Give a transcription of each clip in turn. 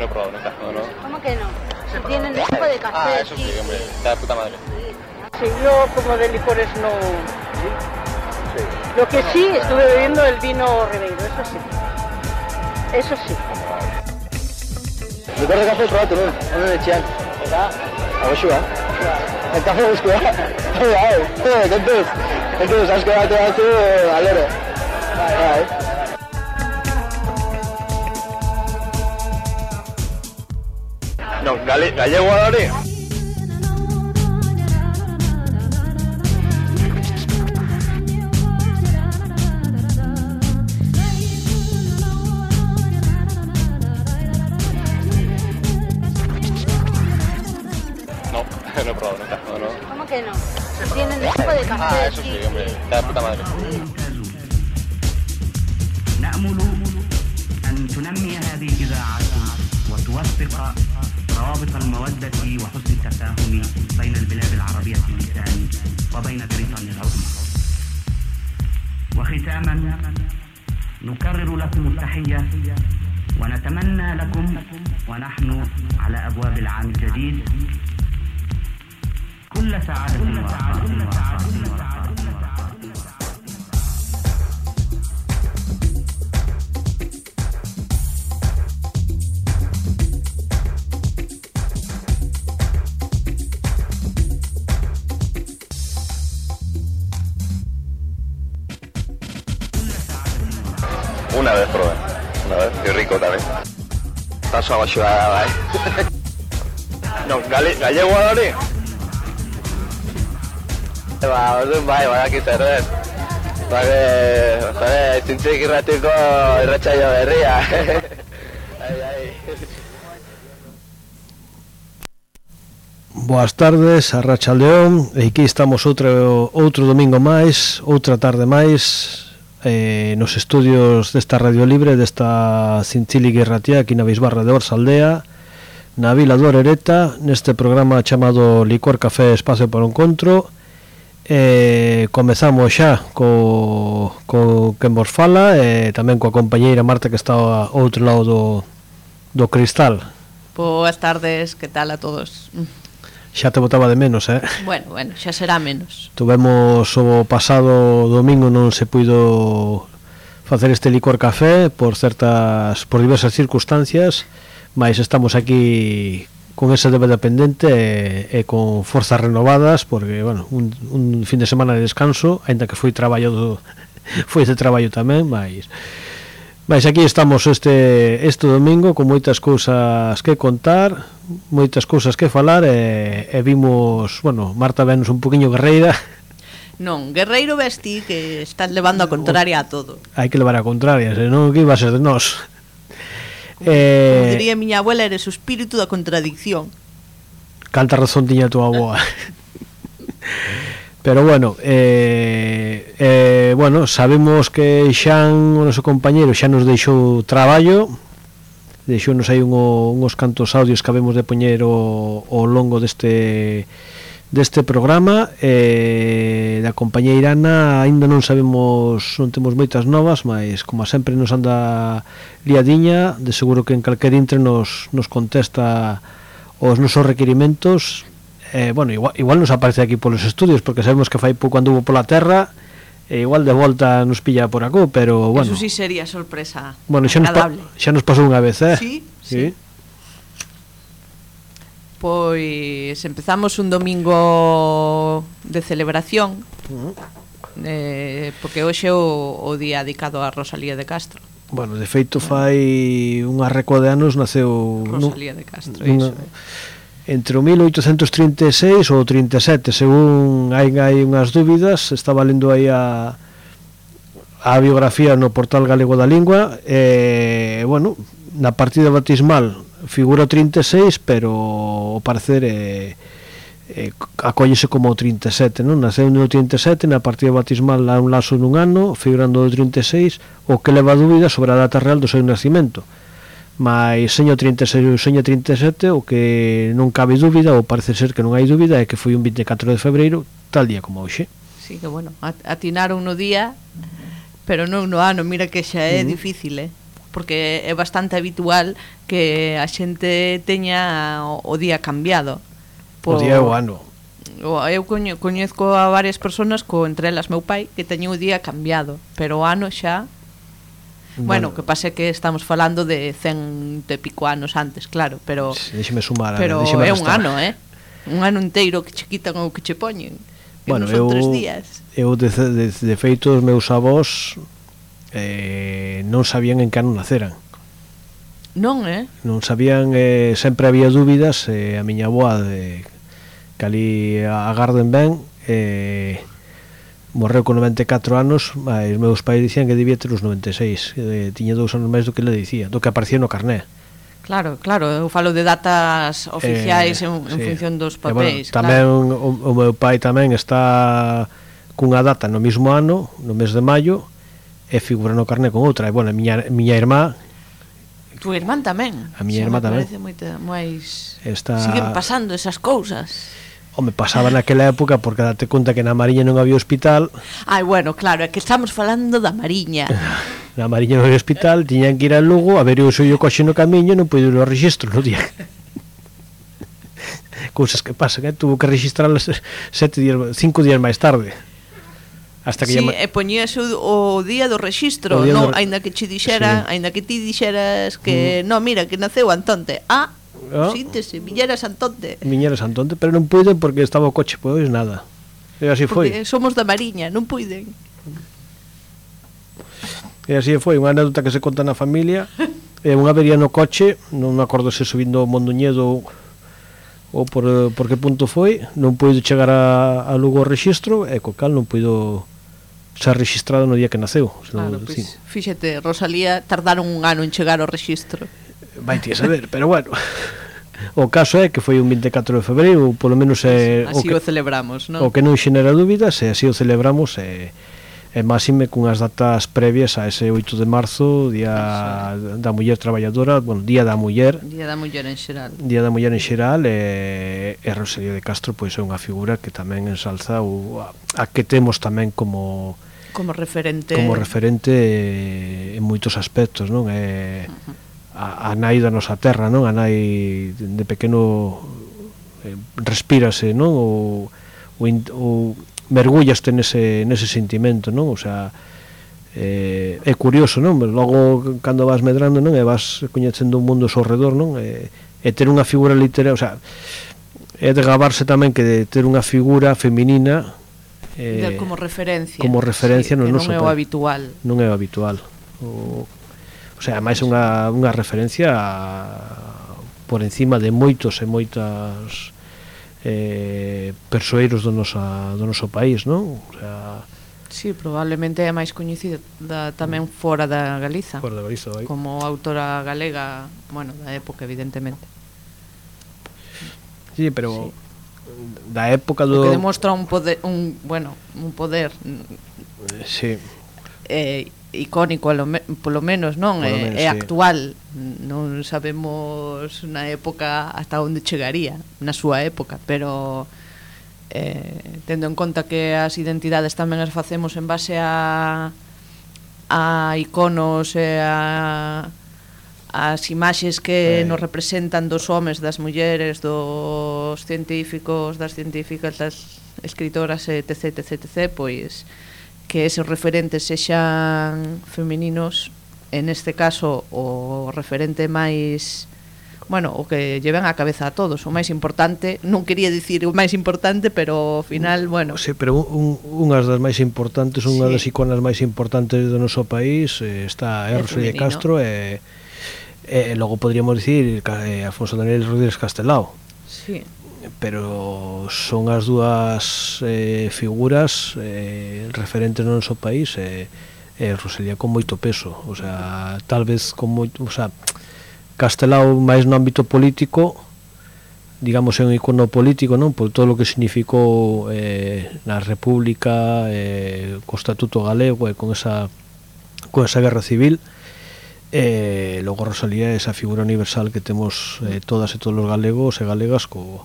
he probado nunca, ¿no? ¿Cómo que no? Si tienen tipo de café. Ah, eso sí, hombre, está de puta madre. Sí, yo como de licores no... Sí. Lo que sí, estuve bebiendo el vino Ribeiro, eso sí. Eso sí. Licor de café probatu, non? Ono de txean. Eta? Agoxua. El café guztua. Kontuz, asko bate batzu, alero. Bai. No, gallego da hori? No, no he probado nunca, ¿no? ¿Cómo que no? Si tienen tipo de café. Ah, eso sí, hombre, está de puta madre. نأمل أن تنمي هذه الإذاعة وتوثق روابط المودة وحسن التفاهم بين البلاد العربية اللسان وبين بريطانيا العظمى. وختاما نكرر لكم التحية ونتمنى لكم ونحن على أبواب العام الجديد كل سعادة Una vez probé, y rico también. Paso a la No, gallego da hori? Orduan bai, badakit zer. Zintzik irratiko irratsaio berria. Boas tardes, arratsaldeón. E aquí estamos outro domingo máis, outra tarde máis, nos estudios desta Radio Libre, desta Cinchíliga Irratia, aquí na Bisbarra de Orzaldea, na Vila do Orereta, neste programa chamado Licor Café Espacio para o Encontro. Comezamos xa co quen vos fala, e tamén coa compañeira Marta, que está ao outro lado do cristal. Boas tardes, que tal a todos? Xa te botaba de menos, Bueno, xa será menos. Tuvemos o pasado domingo, non se puido facer este licor café por diversas circunstancias, mas estamos aquí con ese débeda pendente e con forzas renovadas, porque, bueno, un fin de semana de descanso, ainda que foi de traballo tamén, mas aquí estamos este domingo con moitas cousas que contar, moitas cousas que falar, e vimos, bueno, Marta venos un poquinho guerreira. Non, guerreiro vesti que estás levando a contraria a todo. Hai que levar a contraria, senón que iba a ser de nós. Como diría miña abuela, eres o espírito da contradicción. Canta razón tiña a tua aboa. Pero bueno, sabemos que Xan, o noso compañeiro, xa nos deixou traballo, deixounos aí uns cantos audios que habemos de poñer ao longo deste programa. Da compañeira Ana aínda non temos moitas novas, mas como sempre nos anda liadiña, de seguro que en calquer intre nos contesta os nosos requerimentos. Igual nos aparece aquí polos estudios, porque sabemos que fai pouco anduvo pola terra, e igual de volta nos pilla por acá, pero bueno. Eso sí sería sorpresa. Bueno, xa nos pasou unha vez, Sí. Pois empezamos un domingo de celebración, porque hoxe é o día dedicado a Rosalía de Castro. Bueno, de feito fai unha recua de anos naceu Rosalía de Castro, iso entre o 1836 ou 37, según hai unhas dúbidas. Estaba lendo aí a biografía no Portal Galego da Lingua, bueno, na partida bautismal figura o 36, pero ao parecer acóllese como o 37, non? Naceu no 37, na partida bautismal há un lazo nun ano, figurando o 36, o que leva dúbida sobre a data real do seu nacimento. Mas seño 36 ou seño 37, o que non cabe dúbida, ou parece ser que non hai dúbida, é que foi un 24 de febreiro, tal día como hoxe. Sí, que bueno, atinaron no día, pero non no ano, mira que xa é difícil, porque é bastante habitual que a xente teña o día cambiado. O día e o ano. Eu coñezco a varias personas, entre elas meu pai, que teñen o día cambiado, pero o ano xa... Bueno, que pase que estamos falando de 100 e pico anos antes, claro, pero... Déxeme sumar, pero é un ano, un ano inteiro que che quitan ou que che poñen. Que bueno, non son 3 días. Eu de feito os meus avós non sabían en que ano naceran. Non, Non sabían, sempre había dúbidas, a miña avoa que ali agarden ben, morreu con 94 anos, os meus pais dicían que debía ter os 96, tiña 2 anos máis do que le dicía, do que aparecía no carné. Claro, eu falo de datas oficiais en función dos papéis. Bueno, tamén o meu pai tamén está cunha data no mesmo ano, no mes de maio, e figura no carné con outra. E, bueno, a miña irmá... Tu irmán tamén? A miña irmá tamén. Parece moito máis... Está... Siguen pasando esas cousas. Home, pasaba naquela época porque date conta que na Mariña non había hospital. Ai, bueno, claro, é que estamos falando da Mariña. Na Mariña non había hospital, tiñan que ir a Lugo, a ver o seu coche no camiño, non puido ir ao rexistro no día. Cousas que pasan, tuvo que registrarlas 5 días máis tarde. Hasta que sí, e poñíase o día do rexistro, non, aínda que che dixera, aínda que ti dixeras que, non, mira, que naceu Antonte. Síntese, Viñera Santonte. Viñera Santonte, pero non puiden porque estaba o coche, pois nada. E así foi. Porque somos da Mariña, non puiden. E así foi, unha anécdota que se conta na familia. Unha avería no coche, non me acordo se subindo o Mondoñedo ou por que punto foi, non puido chegar a Lugo ao rexistro e co cal non puido ser registrado no día que naceu. Claro, pois, fíxate, Rosalía tardaron un ano en chegar ao rexistro. Vai ti a saber, pero bueno. O caso é que foi un 24 de febreiro, polo menos así o celebramos, non? O que non xenera dúbidas, e así o celebramos, e máxime cunhas datas previas a ese 8 de marzo, Día da Muller Traballadora, bueno, Día da Muller. Día da Muller en xeral. Día da Muller en xeral, e Rosalía de Castro pois é unha figura que tamén ensalza a que temos tamén como referente en moitos aspectos, non? A nai da nosa terra, non? A nai de pequeno respírase, non? O mergullaste nese sentimento, non? O sea, é curioso, non? Logo, cando vas medrando, non? E vas coñecendo un mundo ao seu redor, non? E ter unha figura literaria, o sea, é de gabarse tamén que de ter unha figura feminina como referencia sí, non é o habitual. Non é o habitual. O sea, máis unha referencia por encima de moitos e moitas persoeiros do noso país, non? O sea, sí, probablemente é máis coñecida tamén fora da Galiza. Fora da Galiza, vai. Como autora galega, bueno, da época, evidentemente. Sí, pero da época do... que demostra un poder, sí, icónico polo menos, non? É sí. Actual, non sabemos na época hasta onde chegaría na súa época, pero tendo en conta que as identidades tamén as facemos en base a iconos e as imaxes que nos representan dos homes, das mulleres, dos científicos, das científicas, das escritoras, etc, pois que eses referentes sexan femininos, en este caso o referente máis, bueno, o que lleven a cabeza a todos, o máis importante, non quería dicir o máis importante, pero ao final, bueno. Sí, pero unhas das máis importantes, unha das iconas máis importantes do noso país está Rosalía de Castro e logo podríamos dicir Alfonso Daniel Rodríguez Castelao. Sí. Pero son as dúas figuras referentes no noso país e Rosalía con moito peso, o sea, tal vez con moito, o sea, Castelao máis no ámbito político, digamos, é un icono político, non? Por todo o que significou na República, co Estatuto Galego e con esa guerra civil. Logo Rosalía é esa figura universal que temos todas e todos os galegos e galegas con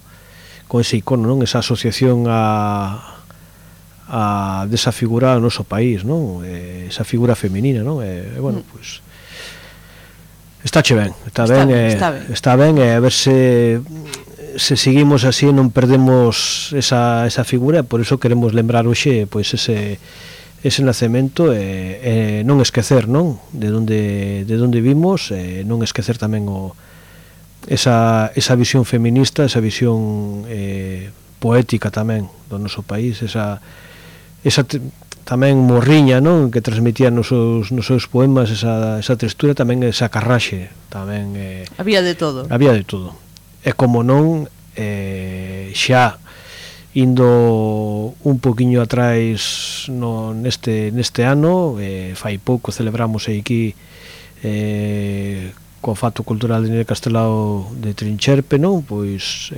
ese icono, non? Esa asociación desa figura ao noso país, non? Esa figura feminina, non? Bueno, pois Está ben, está ben, e a ver se seguimos así non perdemos esa figura, por iso queremos lembrar hoxe pois ese nacemento e non esquecer, non? De onde vimos, non esquecer tamén esa visión feminista, esa visión poética tamén do noso país, esa tamén morriña, non, que transmitía nos seus poemas, esa textura, tamén esa carraxe, tamén había de todo. E como non, xa indo un poquinho atrás neste ano, fai pouco celebramos aquí co Fato Cultural de Nere Castelao de Trincherpe, non, pois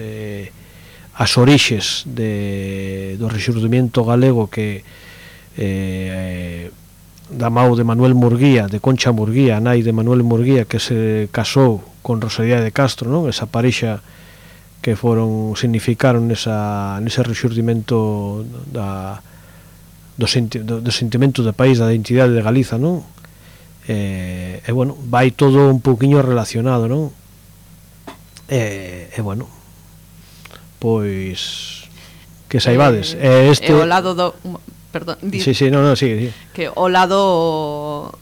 as orixes do rexurdimento galego que da mau de Manuel Murguía, de Concha Murguía, nai de Manuel Murguía, que se casou con Rosalía de Castro, non? Esa parexa que significaron nese rexurdimento do sentimento do país, da identidade de Galiza, non? E bueno, vai todo un pouquiño relacionado, non? E bueno, pois que saibades, e o lado do... Perdón, sí, sí. Que o lado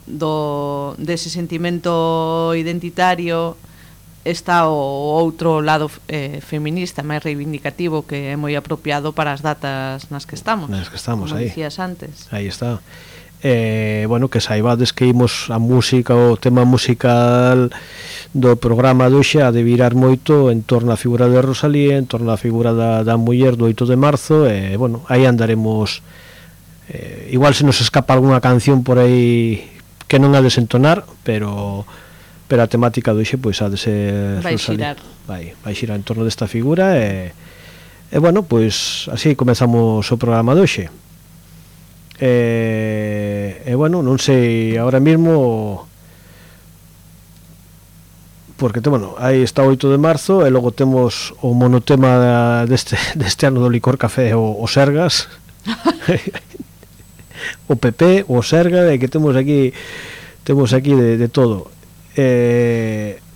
dese sentimento identitario está o outro lado feminista máis reivindicativo, que é moi apropiado para as datas nas que estamos, como aí dicías antes. Aí está. Bueno, que saibades que imos a música, o tema musical do programa de hoxe a de virar moito en torno á figura de Rosalía, en torno á figura da muller do 8 de marzo, e bueno, aí andaremos. Igual se nos escapa algunha canción por aí que non ha de desentonar, pero a temática do hoxe pois ha de ser vai xirar. Vai xirar en torno desta figura e bueno, pois así comezamos o programa de hoxe. E bueno, non sei agora mesmo, porque bueno, aí está o 8 de marzo e logo temos o monotema deste ano do Licor Café, o Sergas. O PP, o Serga, e que temos aquí de todo.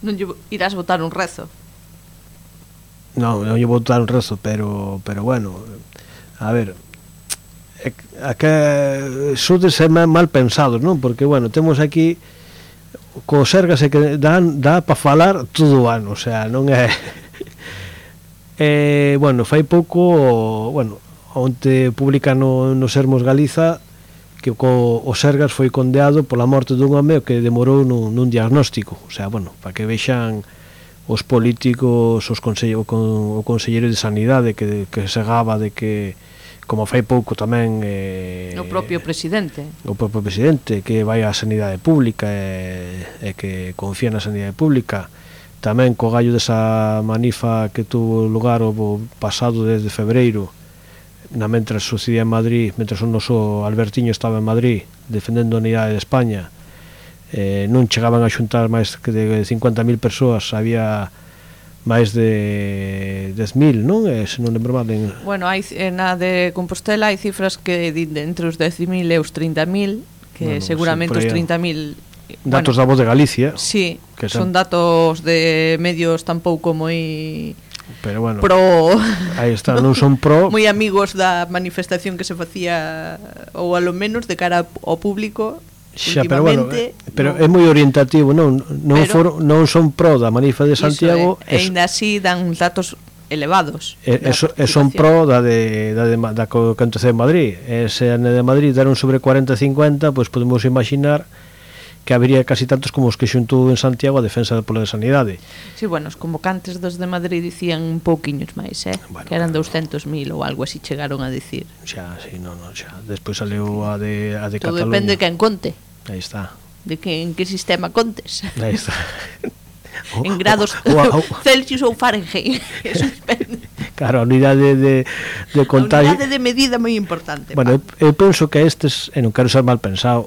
Non irás votar un rezo? Non lle vou votar un rezo, pero bueno, a ver, que sodes mal pensados, non? Porque bueno, temos aquí co Serga se que dá para falar todo o ano, o sea, non é bueno, fai pouco, bueno, onte publica no Sermos Galiza que o Sergas foi condeado pola morte dun home que demorou nun diagnóstico, o sea, bueno, para que vexan os políticos, o conselleiro de Sanidade que se gaba de que, como fai pouco tamén o propio presidente que vai á sanidade pública e que confía na sanidade pública, tamén co gallo desa manifa que tuvo lugar o pasado desde febreiro, mentras sucedía en Madrid, mentras o noso Albertiño estaba en Madrid defendendo a unidade de España, non chegaban a xuntar máis que de 50.000 persoas, había máis de 10.000, non? Se non lembro mal. Bueno, na de Compostela hai cifras que entre os 10.000 e os 30.000, que bueno, seguramente sí, os 30.000... Datos da Voz de Galicia. Sí, que son datos de medios tampouco moi... Pero bueno, aí está, non son moi amigos da manifestación que se facía, ou a lo menos de cara ao público. Xa, pero bueno, pero é moi orientativo, non son pro da manifa de Santiago, e ainda así dan uns datos elevados. Son pro da que aconteceu en Madrid. Se de Madrid deron sobre 40-50, pois podemos imaginar que habería casi tantos como os que xuntou en Santiago a defensa pola de sanidade. Sí, bueno, os convocantes dos de Madrid dicían un pouquiños máis, bueno, que eran 200.000 ou algo así chegaron a dicir. Xa, sí, xa. Despois saleu a de todo Cataluña. Depende de quen conte. Aí está. En que sistema contes. Aí está. En grados Celsius ou Fahrenheit. Eso depende. Claro, a unidade de contagio. A unidade de medida moi importante. Bueno, eu penso que estes, non quero ser mal pensado,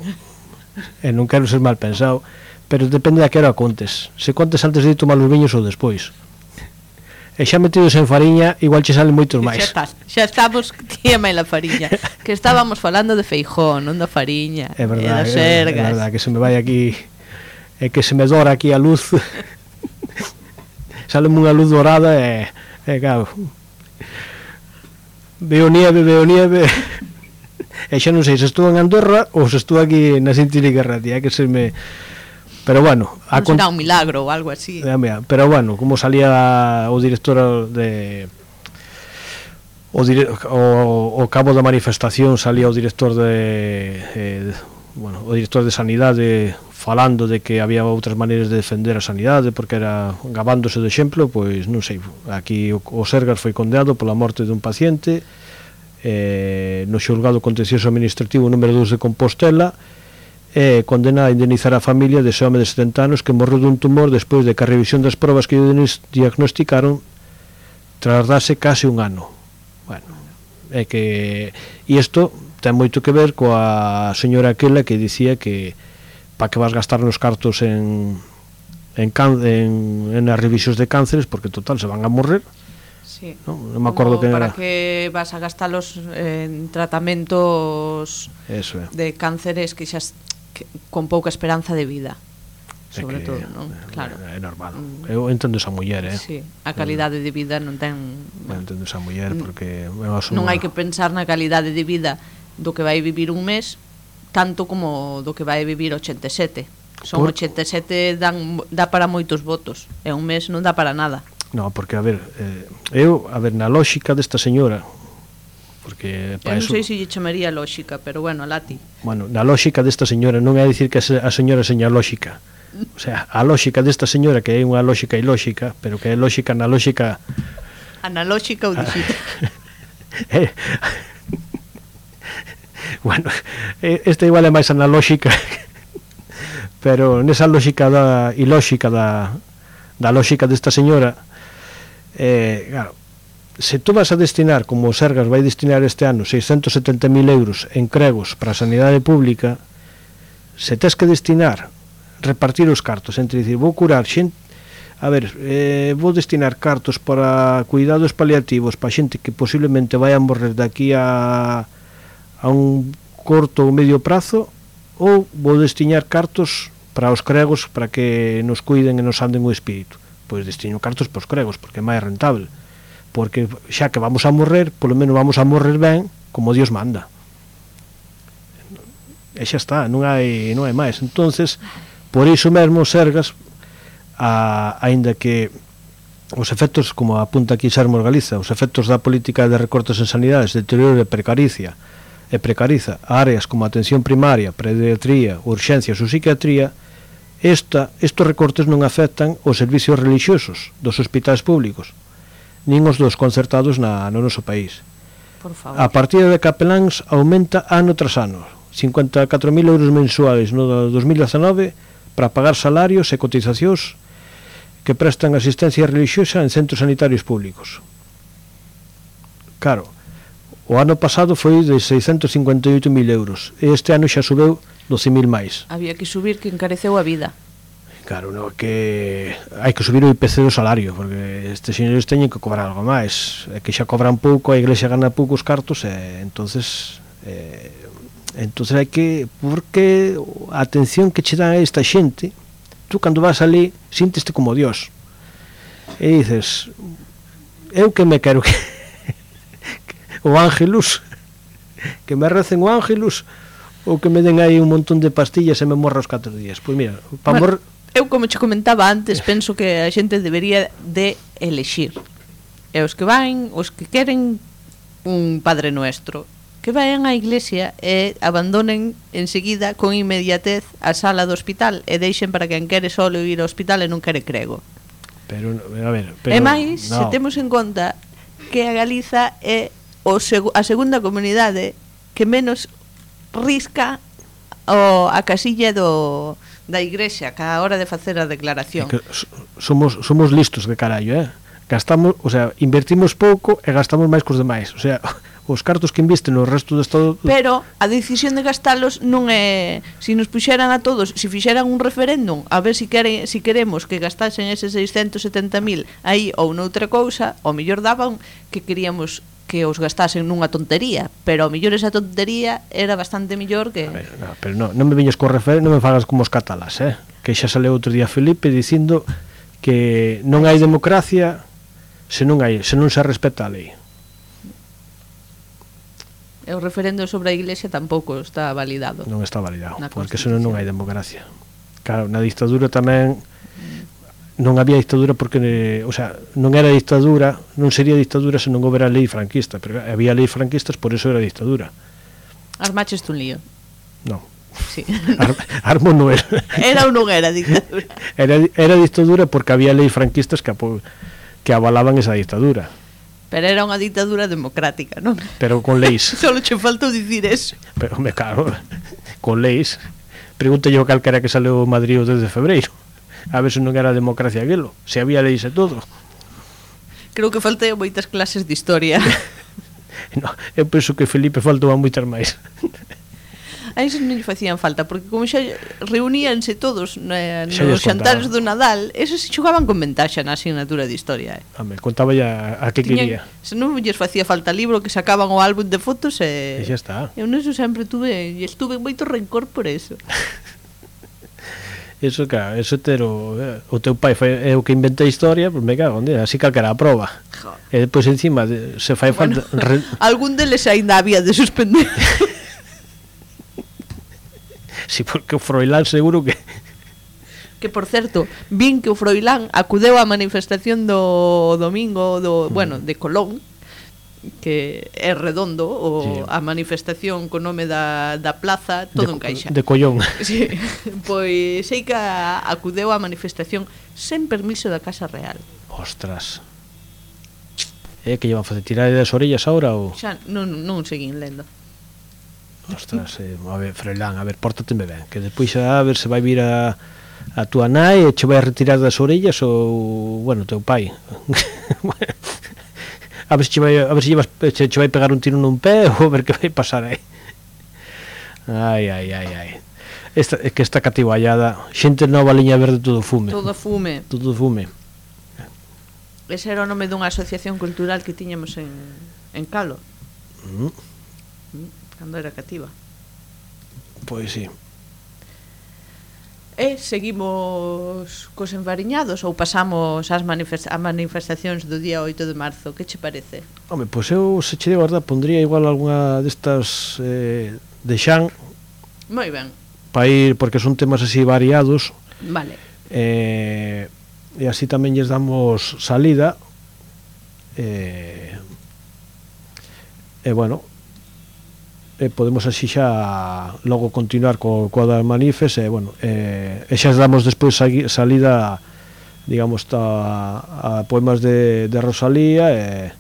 pero depende da que hora contes. Se contes antes de tomar os viños ou despois. E xa metidos en fariña, igual che salen moitos máis. Xa estamos, tía máis la fariña. Que estábamos falando de Feijóo, non da fariña. É verdade, e das Sergas. É verdade, que se me vai aquí é que se me dora aquí a luz. Sáleme unha luz dorada e claro, veo nieve e xa non sei se estou en Andorra ou se estou aquí na Sintilica Ratia, que se me... Pero bueno, non será un milagro ou algo así. Pero bueno, como salía o director de o cabo da manifestación, salía o director o director de Sanidade falando de que había outras maneiras de defender a sanidade porque era gabándose do exemplo, pois non sei, aquí o Sergas foi condenado pola morte dun paciente no xulgado contencioso administrativo número 2 de Compostela, condena a indemnizar a familia dese home de 70 anos que morreu dun tumor despois de que a revisión das probas que diagnosticaron tardase case un ano. Bueno, é que isto ten moito que ver coa señora aquela que dicía que para que vas gastar nos cartos en as revisións de cánceres porque total se van a morrer. Sí. Non me acordo que para era. que vas a gastalos en tratamentos de cánceres que xa con pouca esperanza de vida, sobre todo, non? Claro. É normal. Eu entendo esa muller, Sí, a calidade de vida non ten... Eu entendo esa muller porque non hai que pensar na calidade de vida do que vai vivir un mes tanto como do que vai vivir 87. Son 87 dá para moitos votos, e un mes non dá para nada. No, porque a ver, na lógica desta señora, porque eu non sei se lle chamaría lógica, pero bueno, alá ti. Bueno, na lógica desta señora non é dicir que a señora seña lógica. O sea, a lógica desta señora que é unha lógica ilóxica, pero que é lógica na lógica analóxica ou digital. Bueno, esta igual é máis analóxica, pero nesa lógica ilóxica da lógica desta señora, claro, se tú vas a destinar, como o Sergas vai destinar este ano 670.000 euros en cregos para a sanidade pública, se tes que destinar, repartir os cartos entre dicir, vou curar xente, a ver, vou destinar cartos para cuidados paliativos para xente que posiblemente vai a morrer daqui a un corto ou medio prazo, ou vou destinar cartos para os cregos para que nos cuiden e nos anden o espírito. Pois destino cartos para os cregos porque é máis rentable, porque xa que vamos a morrer, polo menos vamos a morrer ben como Dios manda, e xa está, non hai máis. Entonces, por iso mesmo Sergas, aínda que os efectos, como apunta aquí Sermos Galiza, os efectos da política de recortes en sanidades deteriora e precariza áreas como atención primaria, pediatría, urxencias ou psiquiatría, estos recortes non afectan os servicios relixiosos dos hospitais públicos nin os dos concertados no noso país. Por favor. A partida de capeláns aumenta ano tras ano, 54.000 euros mensuais no 2019 para pagar salarios e cotizacións que prestan asistencia relixiosa en centros sanitarios públicos. Claro, o ano pasado foi de 658.000 euros e este ano xa subeu 12.000 máis. Había que subir, que encareceu a vida. Claro, no, que hai que subir o IPC do salario, porque estes señores teñen que cobrar algo máis, é que xa cobran pouco, a Iglesia gana poucos cartos, e entonces hai que, porque a atención que che dan a esta xente, tú cando vas ali sínteste como Dios, e dices, eu que me quero que o Ángelus, que me recen o Ángelus, ou que me den aí un montón de pastillas e me morra os 4 días. Pois mira, para morrer... Eu, como che comentaba antes, penso que a xente debería de elexir. E os que queren un Padre Nuestro, que vayan á iglesia e abandonen enseguida con inmediatez a sala do hospital e deixen para quen quere solo ir ao hospital e non quere crego. Pero, a ver... E máis, se temos en conta que a Galiza é a segunda comunidade que menos risca a casilla da igrexa que a hora de facer a declaración. Somos listos de carallo, gastamos, o sea, invertimos pouco e gastamos máis cos demais, o sea, os cartos que invisten no resto do Estado... Pero a decisión de gastalos non é... Si nos puxeran a todos, si fixeran un referéndum a ver si queremos que gastasen eses 670.000 aí ou noutra cousa, ao mellor daban que queríamos que que os gastasen nunha tontería, pero ao mellor esa tontería era bastante mellor que... A ver, no, pero non me viñes co referente, non me fagas como os catalás, que xa sale outro día Felipe dicindo que non hai democracia se non se respeta a lei. E o referendo sobre a Iglesia tampouco está validado. Non está validado, porque senón non hai democracia. Claro, na dictadura tamén non había dictadura porque, o sea, non era dictadura, non sería dictadura se non houbera lei franquista, pero había lei franquistas, por eso era dictadura. Armaches tú un lío. Non. Sí. Armo non era. Era ou non era dictadura? Era dictadura porque había lei franquistas que avalaban esa dictadura. Pero era unha dictadura democrática, non? Pero con leis. Solo che faltou dicir eso. Pero, me cago, con leis. Pregúntalle o calquera que saleu o Madrid o 10 de febreiro. A ver se non era democracia aquilo. Se había leis e todo. Creo que faltei moitas clases de historia. No, eu penso que Felipe faltou a moitas máis. A esos non lle facían falta, porque como xa reuníanse todos nos xantares do Nadal, esos se xogaban con ventaxa na asignatura de historia. Home, contaba ya a que quería. Se non lles facía falta libro, que sacaban o álbum de fotos e xa está. Eu neso sempre estuve moito rencor por eso. Eso, claro, eso o teu pai é o que inventa a historia, pois me cago, así calquera a proba. E depois encima se fai falta... Algún deles aínda había de suspender. Si, porque o Froilán seguro que... Que, por certo, vin que o Froilán acudeu á manifestación do domingo bueno, de Colón, que é redondo, sí. A manifestación co nome da plaza, todo encaixa. De Collón. Sí, pois sei que acudeu á manifestación sen permiso da Casa Real. Ostras. Que llevan a facer tirar das orellas ahora ou... Xa non seguín lendo. Ostras, a ver, Froilán, a ver, pórtateme ben, que despois a ver se vai vir a tua nai e che vai a retirar das orellas ou, bueno, teu pai. A ver se che vai pegar un tiro nun pé ou a ver que vai pasar aí. Ai. É que esta cativallada, xente nova, liña verde, todo fume. Todo fume. Ese era o nome dunha asociación cultural que tiñamos en Calo. Cando era cativa. Pois sí. E seguimos cos enfariñados ou pasamos ás manifestacións do día 8 de marzo? Que che parece? Home, pois eu, se che de verdad, pondría igual algunha destas de Xan. Moi ben. Para ir, porque son temas así variados. Vale. E así tamén lles damos salida. Bueno, podemos así xa logo continuar coa das manifes e bueno, xa damos despois salida, digamos, a poemas de Rosalía e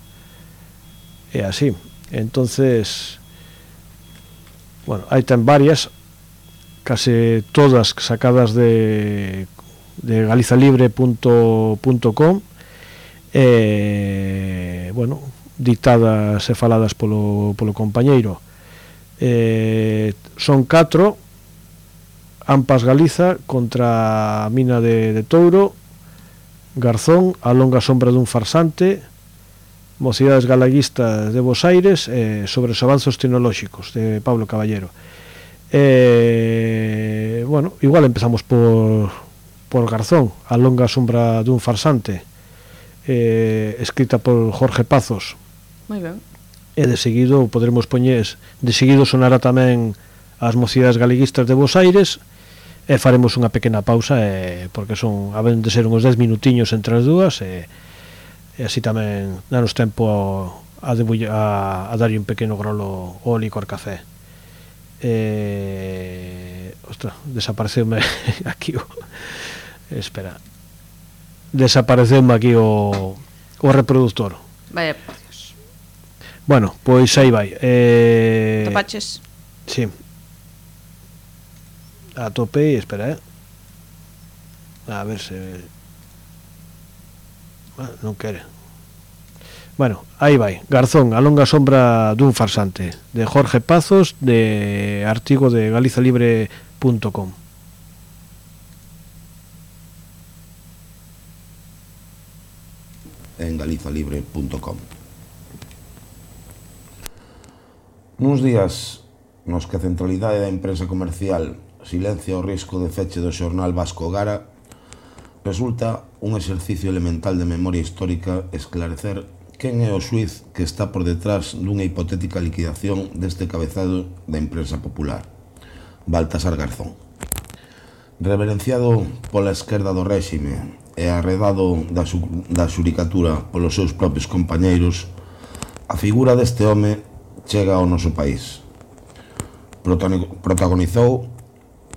así. Entonces, bueno, hai ten varias, case todas sacadas de galizalibre.com, bueno, dictadas e faladas polo compañeiro. Son 4: Ampas Galiza contra a mina de Touro, Garzón, A longa sombra dun farsante, Mocidades galaguistas de Bos Aires, sobre os avanzos tecnolóxicos, de Pablo Caballero. Bueno, igual empezamos por Garzón, A longa sombra dun farsante, escrita por Jorge Pazos. Moi ben. E de seguido podremos poñer, de seguido sonará tamén As Mocidades galeguistas de Bos Aires, e faremos unha pequena pausa, porque haben de ser uns 10 minutiños entre as dúas, e así tamén danos tempo a darlle un pequeno grolo ao licor café. Ostras, desapareceume aquí espera, desapareceume aquí o reproductor. Vaya por Dios. Bueno, pois aí vai. Topaches? Sí. Atopei, espera, a ver se... non quere. Bueno, aí vai. Garzón, A longa sombra dun farsante, de Jorge Pazos, de artigo de galizalibre.com. En galizalibre.com. Nuns días nos que a centralidade da empresa comercial silencia o risco de feche do xornal Vasco Gara, resulta un exercicio elemental de memoria histórica esclarecer quen é o xuiz que está por detrás dunha hipotética liquidación deste cabezado da empresa popular, Baltasar Garzón. Reverenciado pola esquerda do réxime e arredado da xuricatura polos seus propios compañeiros, a figura deste home chega ao noso país. Protagonizou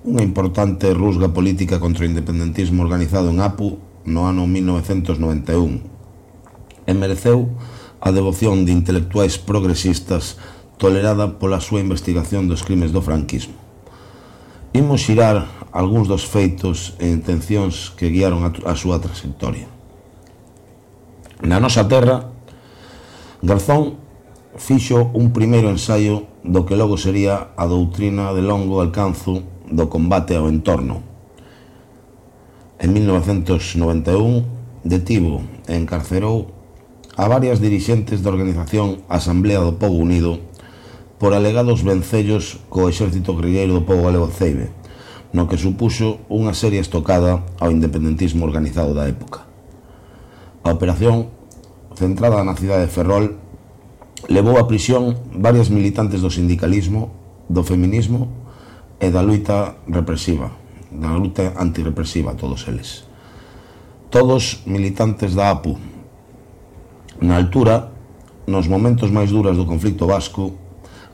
unha importante rusga política contra o independentismo organizado en Apu no ano 1991 e mereceu a devoción de intelectuais progresistas tolerada pola súa investigación dos crimes do franquismo. Imos xirar algúns dos feitos e intencións que guiaron a súa trayectoria. Na nosa terra, Garzón fixo un primeiro ensaio do que logo sería a doutrina de longo alcanzo do combate ao entorno. En 1991 detivo e encarcerou a varias dirixentes da organización Asamblea do Pobo Unido por alegados vencellos co exército guerrilleiro do pobo galego Ceibe, no que supuxo unha seria estocada ao independentismo organizado da época. A operación, centrada na cidade de Ferrol, levou a prisión varias militantes do sindicalismo, do feminismo e da luta represiva, da luta antirrepresiva, todos eles. Todos militantes da APU. Na altura, nos momentos máis duras do conflicto vasco,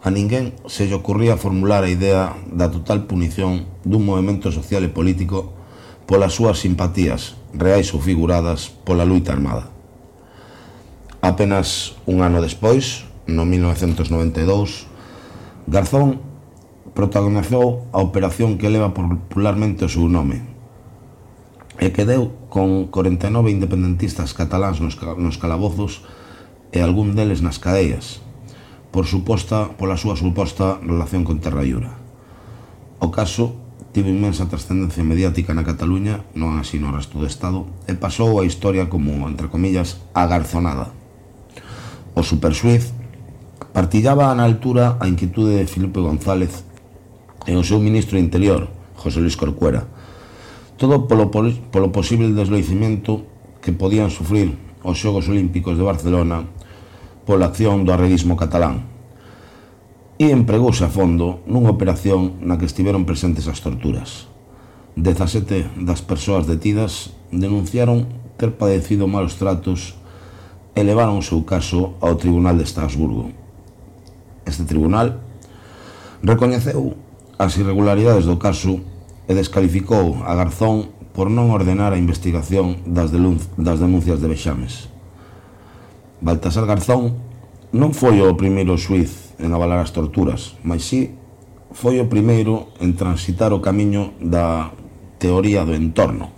a ninguén se lle ocurría formular a idea da total punición dun movimento social e político polas súas simpatías, reais ou figuradas, pola luita armada. Apenas un ano despois, no 1992, Garzón protagonizou a operación que leva popularmente o seu nome e que deu con 49 independentistas cataláns nos calabozos e algún deles nas cadeas, pola súa suposta relación con Terra Iura. O caso tivo inmensa trascendencia mediática na Cataluña, non así no resto do Estado, e pasou a historia como, entre comillas, a garzonada. O superxuiz partillaba na altura a inquietude de Filipe González e o seu ministro de Interior, José Luis Corcuera, todo polo posible desloicimento que podían sufrir os Xogos Olímpicos de Barcelona pola acción do arreguismo catalán, e empregouse a fondo nunha operación na que estiveron presentes as torturas. 17 das persoas detidas denunciaron ter padecido malos tratos e levaron o seu caso ao Tribunal de Estrasburgo. Este tribunal recoñeceu as irregularidades do caso e descalificou a Garzón por non ordenar a investigación das denuncias de vexames. Baltasar Garzón non foi o primeiro xuiz en avalar as torturas, mas si foi o primeiro en transitar o camiño da teoría do entorno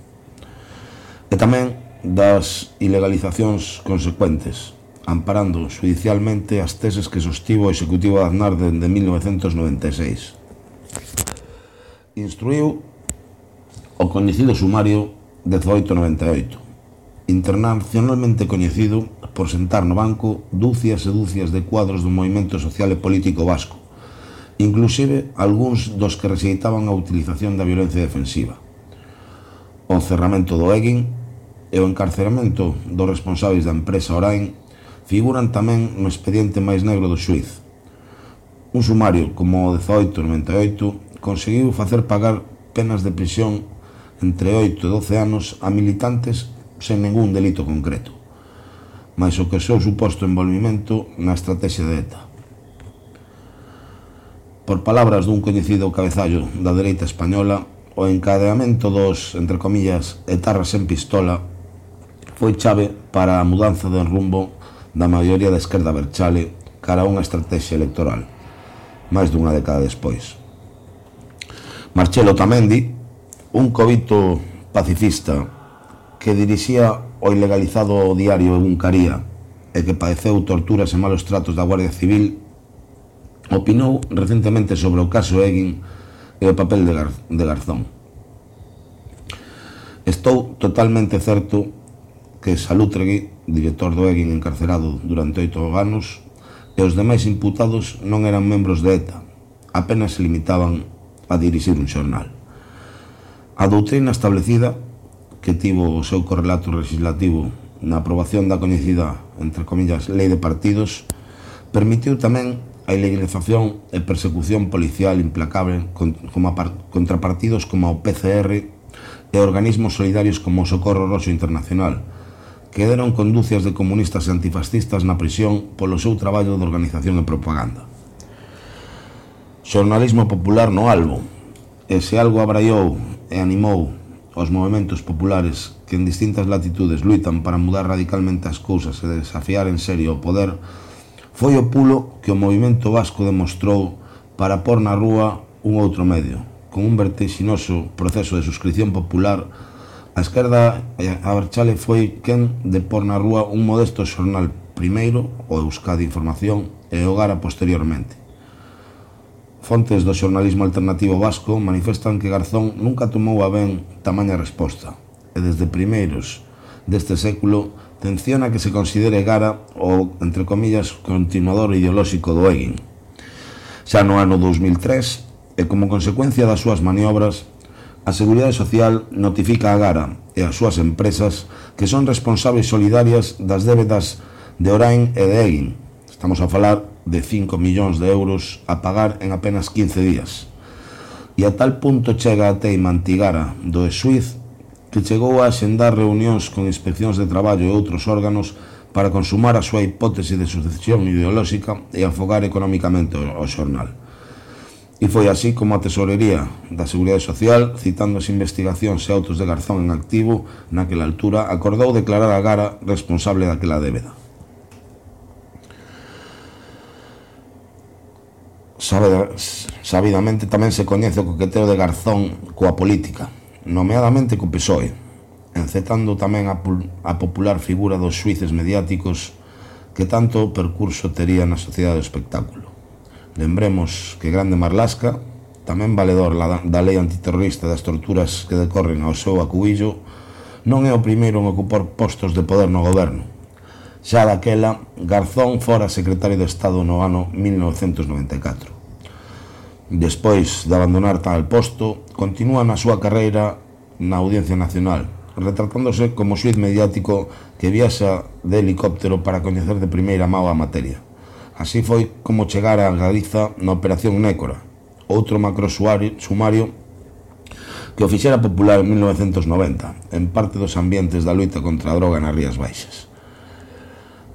e tamén das ilegalizacións consecuentes, amparando judicialmente as teses que sostivo o Executivo de Aznar dende 1996. Instruiu o coñecido sumario 1898, internacionalmente coñecido por sentar no banco dúcias e dúcias de cuadros do movimento social e político vasco, inclusive algúns dos que rexeitaban a utilización da violencia defensiva. O encerramento do Eguin e o encarceramento dos responsáveis da empresa Orain figuran tamén no expediente máis negro do xuiz. Un sumario como o 1898 conseguiu facer pagar penas de prisión entre 8 e 12 anos a militantes sen ningún delito concreto, mais o que seu suposto envolvimento na estrategia de ETA. Por palabras dun coñecido cabezallo da dereita española, o encadeamento dos, entre comillas, etarras en pistola foi chave para a mudanza de rumbo da maioría da esquerda berchale cara a unha estrategia electoral, máis dunha década despois. Marcelo Otamendi, un covito pacifista que dirixía o ilegalizado diario Ebuncaría e que padeceu torturas e malos tratos da Guardia Civil, opinou recentemente sobre o caso Eguin e o papel de Garzón. Estou totalmente certo que Salutregui, director do Eguin encarcerado durante 8 anos, e os demais imputados non eran membros de ETA, apenas se limitaban a dirixir un xornal. A doutrina establecida, que tivo o seu correlato legislativo na aprobación da coñecida, entre comillas, Lei de Partidos, permitiu tamén a ilegalización e persecución policial implacable contra partidos como o PCR e organismos solidarios como o Socorro Roxo Internacional, que deron conducias de comunistas e antifascistas na prisión polo seu traballo de organización e propaganda. Xornalismo popular no albo, e se algo abraiou e animou os movementos populares que en distintas latitudes luitan para mudar radicalmente as cousas e desafiar en serio o poder, foi o pulo que o movimento vasco demostrou para pôr na rúa un outro medio, con un vertixinoso proceso de suscripción popular. A esquerda Abertzale foi quen de pôr na rúa un modesto xornal primeiro, o Euskadi Información, e o Gara posteriormente. Fontes do xornalismo alternativo vasco manifestan que Garzón nunca tomou a ben tamaña resposta, e desde primeiros deste século tenciona que se considere Gara o, entre comillas, continuador ideolóxico do Egin. Xa no ano 2003, e como consecuencia das súas maniobras, a Seguridade Social notifica a Gara e as súas empresas que son responsables solidarias das débedas de Orain e de Egin. Estamos a falar de 5 millóns de euros a pagar en apenas 15 días. E a tal punto chega a teima antigara do Esuiz que chegou a axendar reunións con inspeccións de traballo e outros órganos para consumar a súa hipótese de sucesión ideolóxica e afogar económicamente o xornal. E foi así como a Tesorería da Seguridade Social, citando as investigacións e autos de Garzón en activo, naquela altura, acordou declarar a Gara responsable daquela débeda. Sabidamente tamén se coñece o coqueteo de Garzón coa política, nomeadamente co PSOE, encetando tamén a popular figura dos xuíces mediáticos que tanto percurso tería na sociedade do espectáculo. Lembremos que Grande Marlasca, tamén valedor da lei antiterrorista das torturas que decorren ao seu acubillo, non é o primeiro en ocupar postos de poder no goberno. Xa daquela, Garzón fora secretario de Estado no ano 1994. Despois de abandonar tal posto, continúa na súa carreira na Audiencia Nacional, retratándose como xuíz mediático que viaxa de helicóptero para coñecer de primeira mão a materia. Así foi como chegar a Galiza na Operación Nécora, outro macro sumario que o fixera popular en 1990, en parte dos ambientes da loita contra a droga nas Rías Baixas.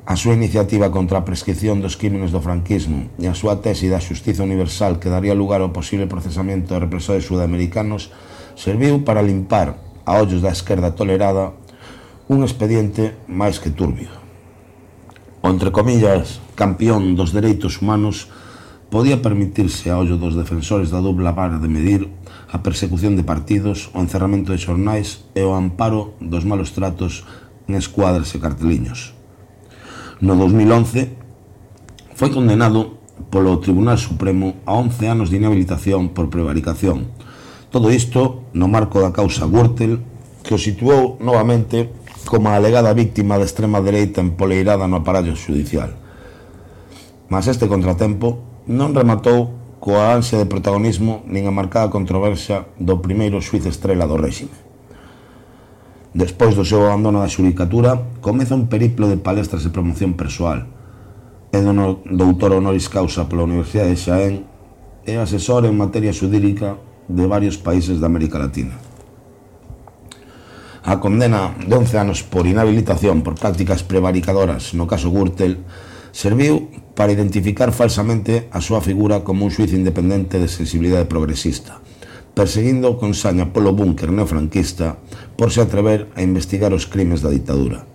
A súa iniciativa contra a prescripción dos crímenes do franquismo e a súa tese da xustiza universal que daría lugar ao posible procesamento de represores sudamericanos serviu para limpar a ollos da esquerda tolerada un expediente máis que turbio. O, entre comillas, campeón dos dereitos humanos podía permitirse a ollo dos defensores da dupla vara de medir a persecución de partidos, o encerramento de xornais e o amparo dos malos tratos en escuadras e carteliños. No 2011 foi condenado polo Tribunal Supremo a 11 anos de inhabilitación por prevaricación. Todo isto no marco da causa Gürtel, que o situou novamente como a alegada víctima de extrema dereita empoleirada no aparello judicial. Mas este contratempo non rematou coa ansia de protagonismo nin a marcada controversia do primeiro xuíz estrela do réxime. Despois do seu abandono da xudicatura, comeza un periplo de palestras e promoción persoal. É doutor honoris causa pola Universidade de Xaén e asesor en materia xurídica de varios países da América Latina. A condena de 11 anos por inhabilitación por prácticas prevaricadoras no caso Gürtel serviu para identificar falsamente a súa figura como un xuíz independente de sensibilidade progresista, perseguindo con saña polo búnker neofranquista por se atrever a investigar os crimes da ditadura.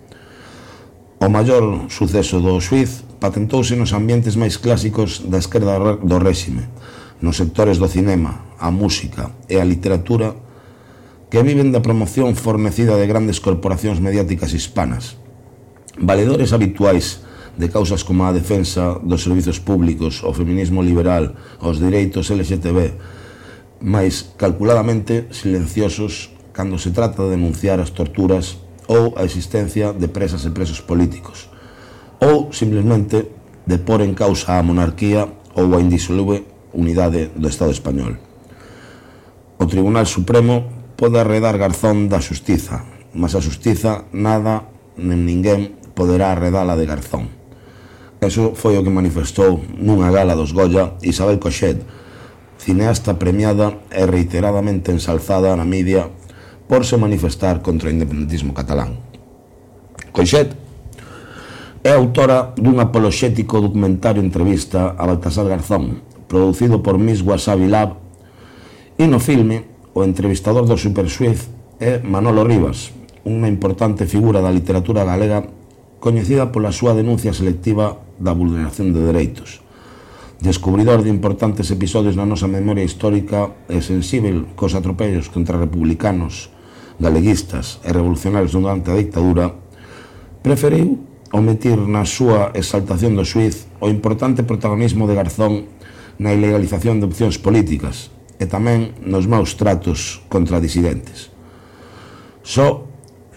O maior suceso do xuíz patentouse nos ambientes máis clásicos da esquerda do réxime, nos sectores do cinema, a música e a literatura, que viven da promoción fornecida de grandes corporacións mediáticas hispanas, valedores habituais de causas como a defensa dos servizos públicos, o feminismo liberal, os dereitos LGTB, mais calculadamente silenciosos cando se trata de denunciar as torturas ou a existencia de presas e presos políticos, ou simplemente de pôr en causa a monarquía ou a indisolúvel unidade do Estado español. O Tribunal Supremo pode arredar Garzón da xustiza, mas a xustiza nada nen ninguén poderá arredala de Garzón. Eso foi o que manifestou nunha gala dos Goya Isabel Coixet, cineasta premiada e reiteradamente ensalzada na media por se manifestar contra o independentismo catalán. Coixet é autora dun apoloxético documentario entrevista a Baltasar Garzón, producido por Miss Wasabi Lab, e no filme o entrevistador do superxuíz é Manolo Rivas, unha importante figura da literatura galega coñecida pola súa denuncia selectiva da vulneración de dereitos. Descubridor de importantes episodios na nosa memoria histórica e sensível cos atropellos contra republicanos, galeguistas e revolucionarios durante a dictadura, preferiu omitir na súa exaltación do xuíz o importante protagonismo de Garzón na ilegalización de opcións políticas e tamén nos maus tratos contra disidentes. Só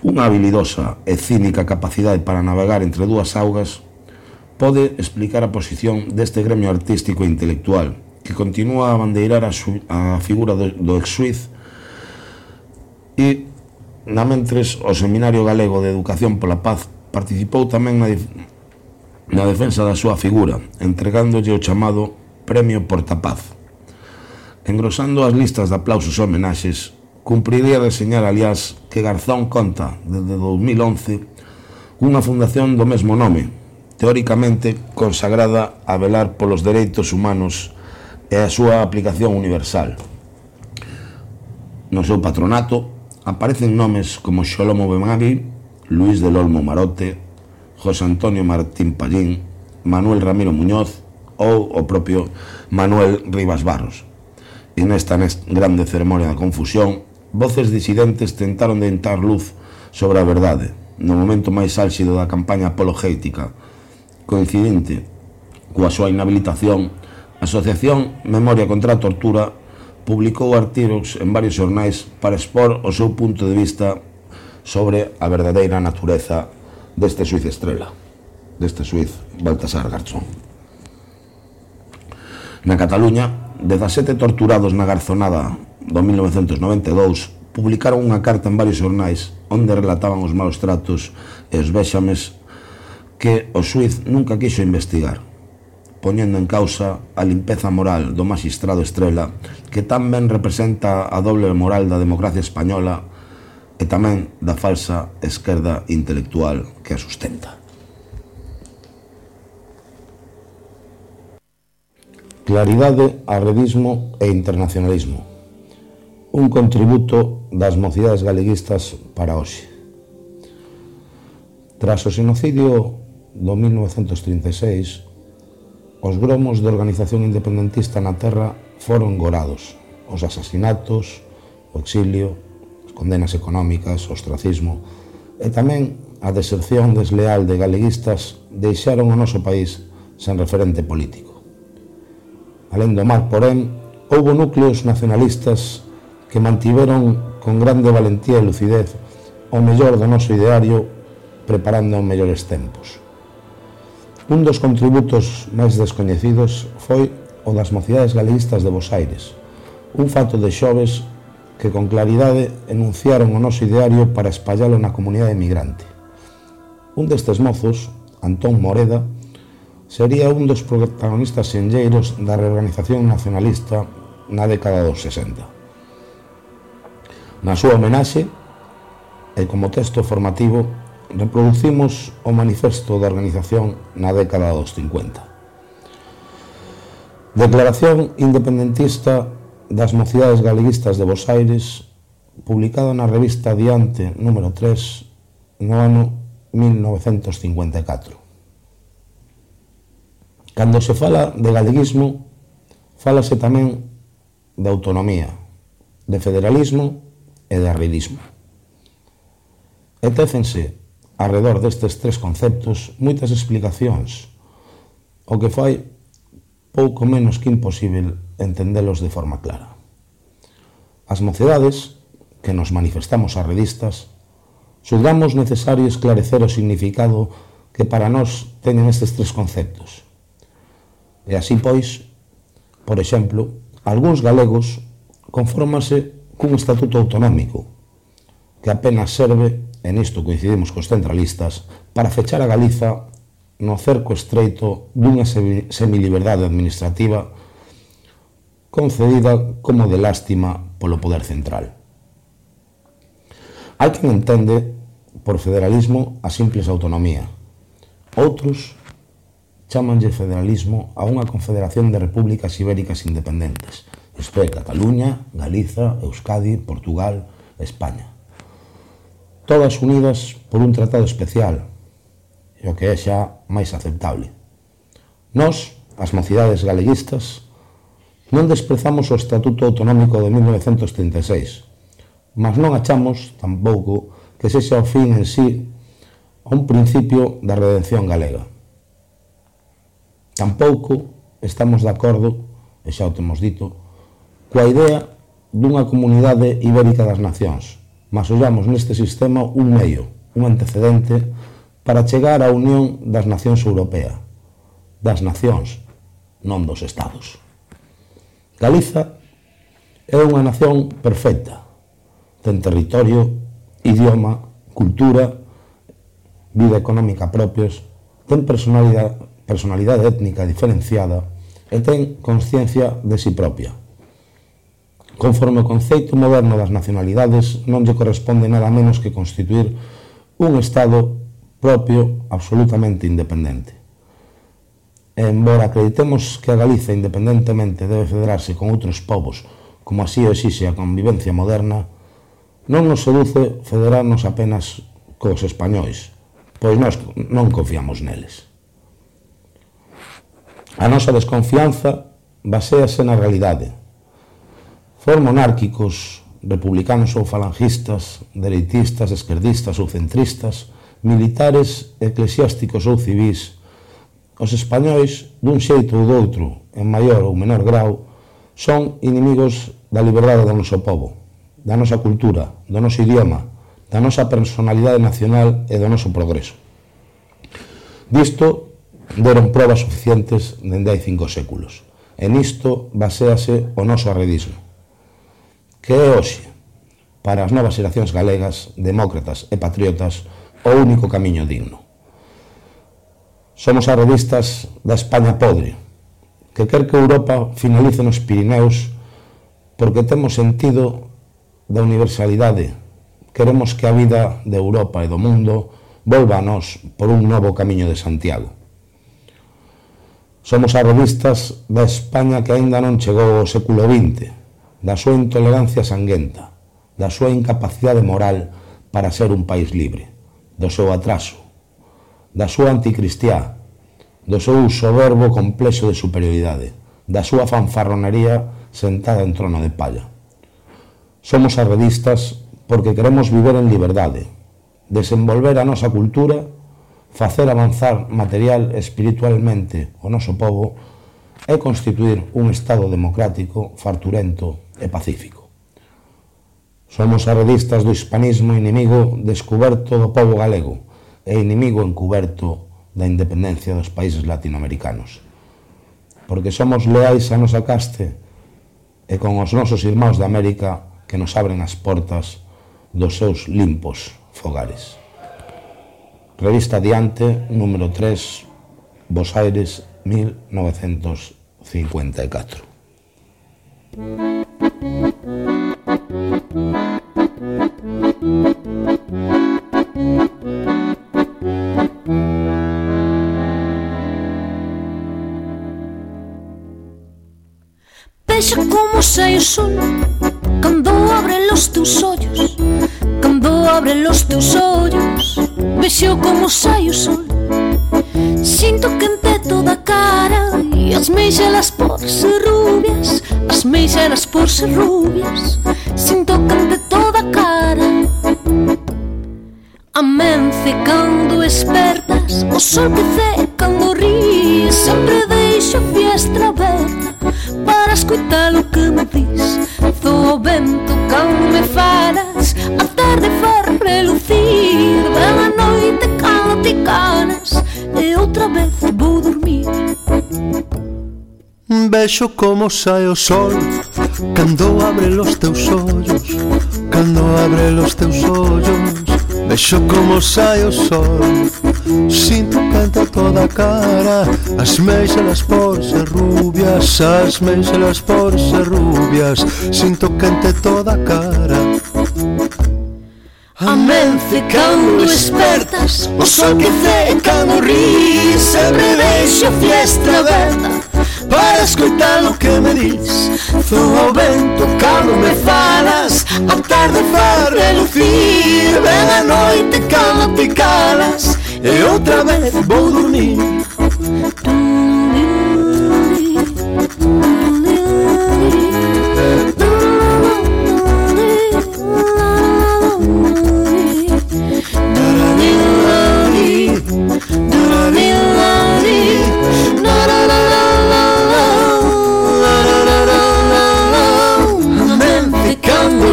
unha habilidosa e cínica capacidade para navegar entre dúas augas pode explicar a posición deste gremio artístico e intelectual que continúa a bandeirar a figura do ex-xuíz e, na mentres, o Seminario Galego de Educación pola Paz participou tamén na defensa da súa figura, entregándolle o chamado Premio Portapaz. Engrosando as listas de aplausos e homenaxes, cumpriría reseñar, aliás, que Garzón conta, desde 2011, unha fundación do mesmo nome, teóricamente consagrada a velar polos dereitos humanos e a súa aplicación universal. No seu patronato aparecen nomes como Xolomo Benagui, Luis del Olmo Marote, José Antonio Martín Pallín, Manuel Ramiro Muñoz ou o propio Manuel Rivas Barros. E nesta grande ceremonia da confusión, voces disidentes tentaron de entrar luz sobre a verdade, no momento máis álxido da campaña apologética. Coincidente coa súa inhabilitación, a Asociación Memoria contra a Tortura publicou artigos en varios xornais para expor o seu punto de vista sobre a verdadeira natureza deste xuíz estrela, deste xuíz Baltasar Garzón. Na Cataluña, 17 torturados na Garzonada do 1992 publicaron unha carta en varios xornais onde relataban os malos tratos e os vexames que o xuíz nunca quixo investigar, poñendo en causa a limpeza moral do magistrado estrela que tan ben representa a doble moral da democracia española e tamén da falsa esquerda intelectual que a sustenta. Claridade, arredismo e internacionalismo. Un contributo das mocidades galeguistas para hoxe. Tras o xenocidio do 1936, os gromos de organización independentista na terra foron gorados. Os asasinatos, o exilio, as condenas económicas, o ostracismo e tamén a deserción desleal de galeguistas deixaron o noso país sen referente político. Alén do mar, porén, houbo núcleos nacionalistas que mantiveron con grande valentía e lucidez o mellor do noso ideario preparando mellores tempos. Un dos contributos máis descoñecidos foi o das mocidades galeguistas de Bos Aires, un fato de xoves que con claridade enunciaron o noso ideario para espallalo na comunidade emigrante. Un destes mozos, Antón Moreda, sería un dos protagonistas senlleiros da reorganización nacionalista na década dos 60. Na súa homenaxe, e como texto formativo, reproducimos o manifesto da organización na década dos 50. Declaración independentista das mocidades galeguistas de Bos Aires, publicado na revista Diante número 3 no ano 1954. Cando se fala de galeguismo, fálase tamén de autonomía, de federalismo e de arredismo. E técense, arredor destes tres conceptos, moitas explicacións, o que fai pouco menos que imposible entendelos de forma clara. As mocidades, que nos manifestamos arredistas, xulgamos necesario esclarecer o significado que para nós teñen estes tres conceptos E así, pois, por exemplo, algúns galegos confórmanse cun estatuto autonómico que apenas serve, e nisto coincidimos cos centralistas, para fechar a Galiza no cerco estreito dunha semiliberdade administrativa concedida como de lástima polo poder central. Hai quen entende por federalismo a simples autonomía. Outros chamanlle federalismo a unha confederación de repúblicas ibéricas independentes, isto é, Cataluña, Galiza, Euskadi, Portugal, España. Todas unidas por un tratado especial, e o que é xa máis aceptable. Nós, as mocidades galeguistas, non desprezamos o Estatuto Autonómico de 1936, mas non achamos, tampouco, que sexa o fin en sí a un principio da redención galega. Tampouco estamos de acordo, e xa o temos dito, coa idea dunha comunidade ibérica das nacións, mas ollamos neste sistema un medio, un antecedente para chegar á Unión das Nacións Europea, das nacións, non dos estados. Galiza é unha nación perfecta, ten territorio, idioma, cultura, vida económica propios, ten personalidade étnica diferenciada e ten consciencia de si propia. Conforme o conceito moderno das nacionalidades, non lle corresponde nada menos que constituir un Estado propio absolutamente independente. E, embora acreditemos que a Galiza independentemente debe federarse con outros povos, como así o exixe a convivencia moderna, non nos seduce federarnos apenas cos españois, pois nós non confiamos neles. A nosa desconfianza baséase na realidade. For monárquicos, republicanos ou falangistas, dereitistas, esquerdistas ou centristas, militares, eclesiásticos ou civís, os españois, dun xeito ou doutro, en maior ou menor grau, son inimigos da liberdade do noso povo, da nosa cultura, do noso idioma, da nosa personalidade nacional e do noso progreso. Disto deron probas suficientes dende hai 5 séculos, e nisto baséase o noso arredismo, que é hoxe, para as novas xeracións galegas, demócratas e patriotas, o único camiño digno. Somos arredistas da España podre, que quer que Europa finalice nos Pirineos porque temos sentido da universalidade. Queremos que a vida de Europa e do mundo volva a nós por un novo camiño de Santiago. Somos arredistas da España que aínda non chegou ao século XX, da súa intolerancia sanguenta, da súa incapacidade moral para ser un país libre, do seu atraso, da súa anticristiá, do seu soberbo complexo de superioridade, da súa fanfarronería sentada en trono de palla. Somos arredistas porque queremos viver en liberdade, desenvolver a nosa cultura, facer avanzar material e espiritualmente o noso povo e constituir un Estado democrático, farturento e pacífico. Somos arredistas do hispanismo, inimigo descuberto do povo galego e inimigo encuberto da independencia dos países latinoamericanos. Porque somos leais a nosa caste e con os nosos irmãos da América que nos abren as portas dos seus limpos fogares. Revista Adiante, número 3, Bos Aires, 1954. Vexa como sai o sol cando abre los teus ollos, cando abre los teus ollos. Vexo como sai o sol, sinto quente toda a cara e as meixelas por ser rubias, as meixelas por ser rubias. Sinto quente toda a cara. Amence cando espertas, o sol que ce cando ríes. Sempre deixo a fiestra aberta para escutar o que me dis. Zo o vento cando me falas, a tarde faz relucir. Ven a noite cando te canas e outra vez vou dormir. Vexo como sae o sol cando abre los teus ollos, cando abre los teus ollos. Vexo como sae o sol, sinto canta toda a cara, as meixelas por ser rubias, as meixelas por ser rubias, sinto cante toda a cara. Amence cando despertas, o sol que ce cando ris, sempre deixo a fiestra aberta para escoitar o que me dis. Soa o vento cando me falas, a tarde faz relucir, ven a noite cando te calas, e outra vez vou dormir.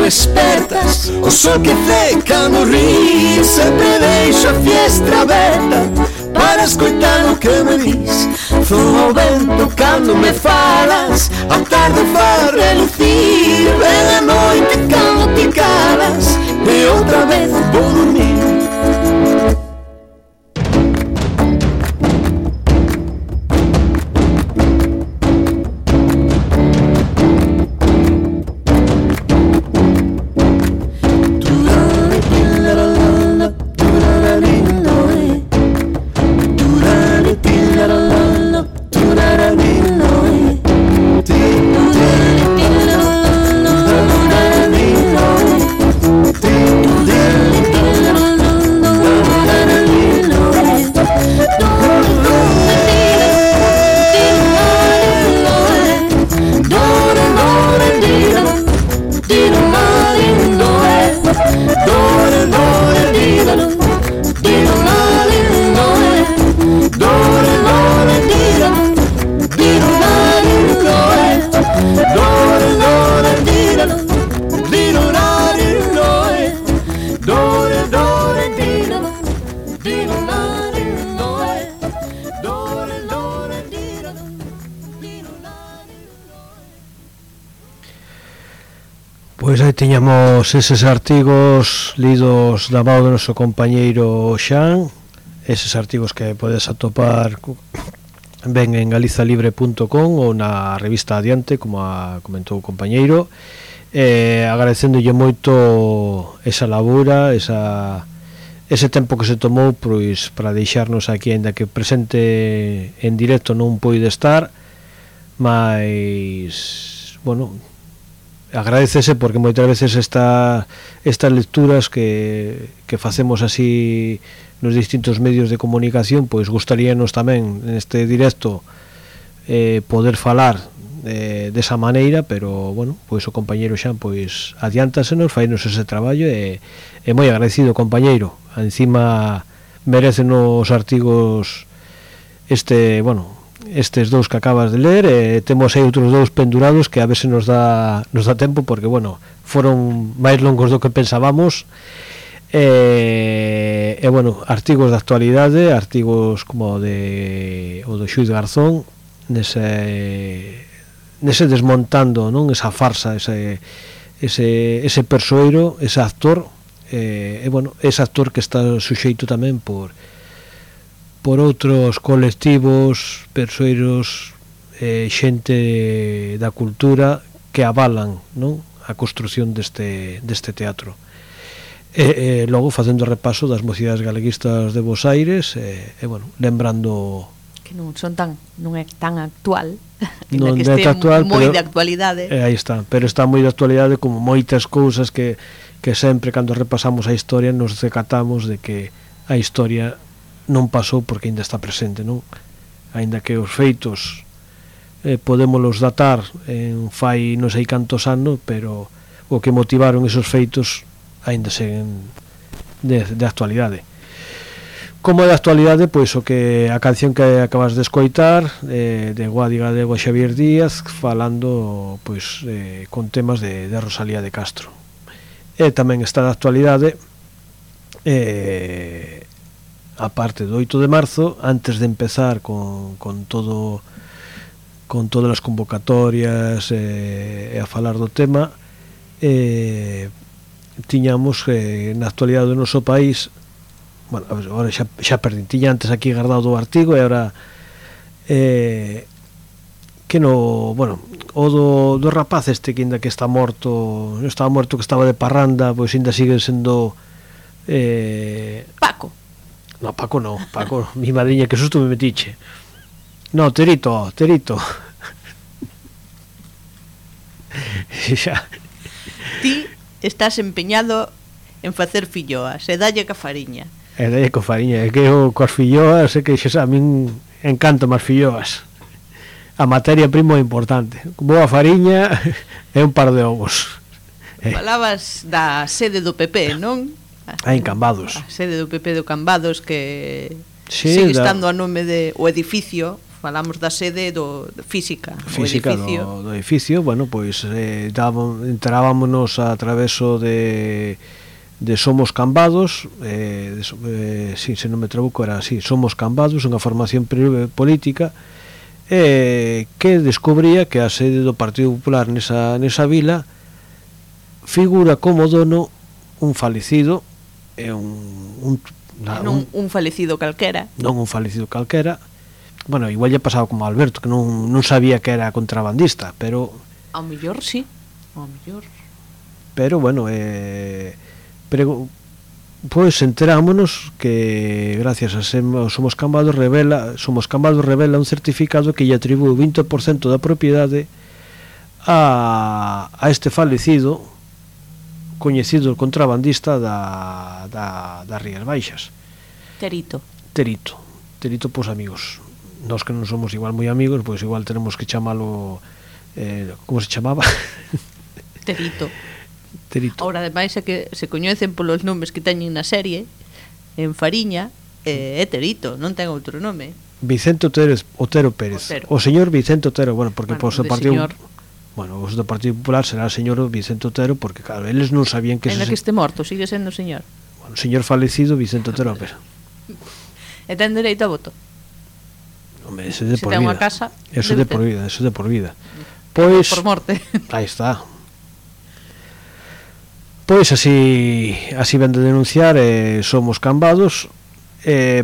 Despertas, o sol que ce cando ris, sempre deixo a fiestra aberta para escoitar o que me dis. Soa o vento cando me falas, a tarde faz relucir, ven a noite cando te calas, e outra vez vou dormir. Pois aí tiñamos eses artigos lidos da mão do noso compañeiro Xan, eses artigos que podes atopar ben en galizalibre.com ou na revista Adiante, como comentou o compañeiro, agradecendolle moito esa labura, ese tempo que se tomou pois para deixarnos aquí, aínda que presente en directo non poide estar, mas bueno, agradecese porque moitas veces estas lecturas que facemos así nos distintos medios de comunicación, pois gustaríanos tamén neste directo poder falar desa maneira, pero bueno, pois o compañeiro Xan pois adiántasenos, fainos ese traballo e moi agradecido, compañeiro. Encima merecen os artigos estes dous que acabas de ler, temos aí outros dous pendurados que a ver se nos dá tempo, porque bueno, foron máis longos do que pensábamos, bueno, artigos de actualidade, artigos como o do Xuiz Garzón, nese desmontando, non, esa farsa, ese persoeiro, ese actor, bueno, ese actor que está suxeito tamén por outros colectivos, persoeiros, xente da cultura que avalan, non, a construción deste teatro. Logo facendo repaso das mocidades galeguistas de Bos Aires, bueno, lembrando que non é tan actual, non que é actual, moi pero, de actualidade. Aí está, pero está moi de actualidade, como moitas cousas que sempre cando repasamos a historia nos decatamos de que a historia non pasou porque ainda está presente, non? Ainda que os feitos podémolos datar en fai non sei cantos anos, pero o que motivaron esos feitos ainda seguen de actualidade. Como de actualidade, pois o que a canción que acabas de escoitar, de Guadiga de Xavier Díaz, falando pois con temas de Rosalía de Castro. E tamén está de actualidade, a parte do 8 de marzo, antes de empezar con todo con todas as convocatorias e a falar do tema, tiñamos na actualidade do noso país, bueno, agora xa perdín, tiña antes aquí guardado o artigo e agora que no, bueno, o do rapaz este que ainda que está morto, non estaba morto, que estaba de parranda, pois ainda sigue sendo Paco. No, Paco no, Paco, mi madriña, que susto me metiche. No, Terito. Xa. Ti estás empeñado en facer filloas, e dalle ca fariña. E dalle ca fariña, é que eu coas filloas, é que xa a min encantan as filloas. A materia prima é importante. Boa fariña e un par de ovos. Falabas da sede do PP, non? En Cambados. A sede do PP do Cambados, que sí, sigue estando a nome de o edificio. Falamos da sede física do edificio. Bueno, pois enterábamos a traveso de Somos Cambados, se non me trabuco era así, Somos Cambados, unha formación política que descubría que a sede do Partido Popular nesa vila figura como dono un falecido un falecido calquera. Non un falecido calquera. Bueno, igual lle pasaba como a Alberto, que non sabía que era contrabandista, pero ao mellor sí, ao mellor. Pero bueno, pois enterámonos que gracias a Somos Cambados revela un certificado que lle atribúe o 20% da propiedade a este falecido coñecido contrabandista das Rías Baixas. Terito, pois amigos. Nós que non somos igual moi amigos, pois igual tenemos que chamalo como se chamaba? Terito. Ahora, ademais, é que se coñecen polos nomes que teñen na serie, en Fariña, é Terito, non ten outro nome. Vicente Otero Pérez. O señor Vicente Otero, bueno, porque bueno, o partido... Bueno, os do Partido Popular será o señor Vicente Otero, porque claro, eles non sabían que... En que este morto, sigue sendo señor. Bueno, o señor falecido Vicente Otero Pérez. E ten dereito a voto. Hombre, ese de por vida. Se ten unha casa, eso de por vida. Pois... Por morte. Aí está. Pois así ven de denunciar Somos Cambados.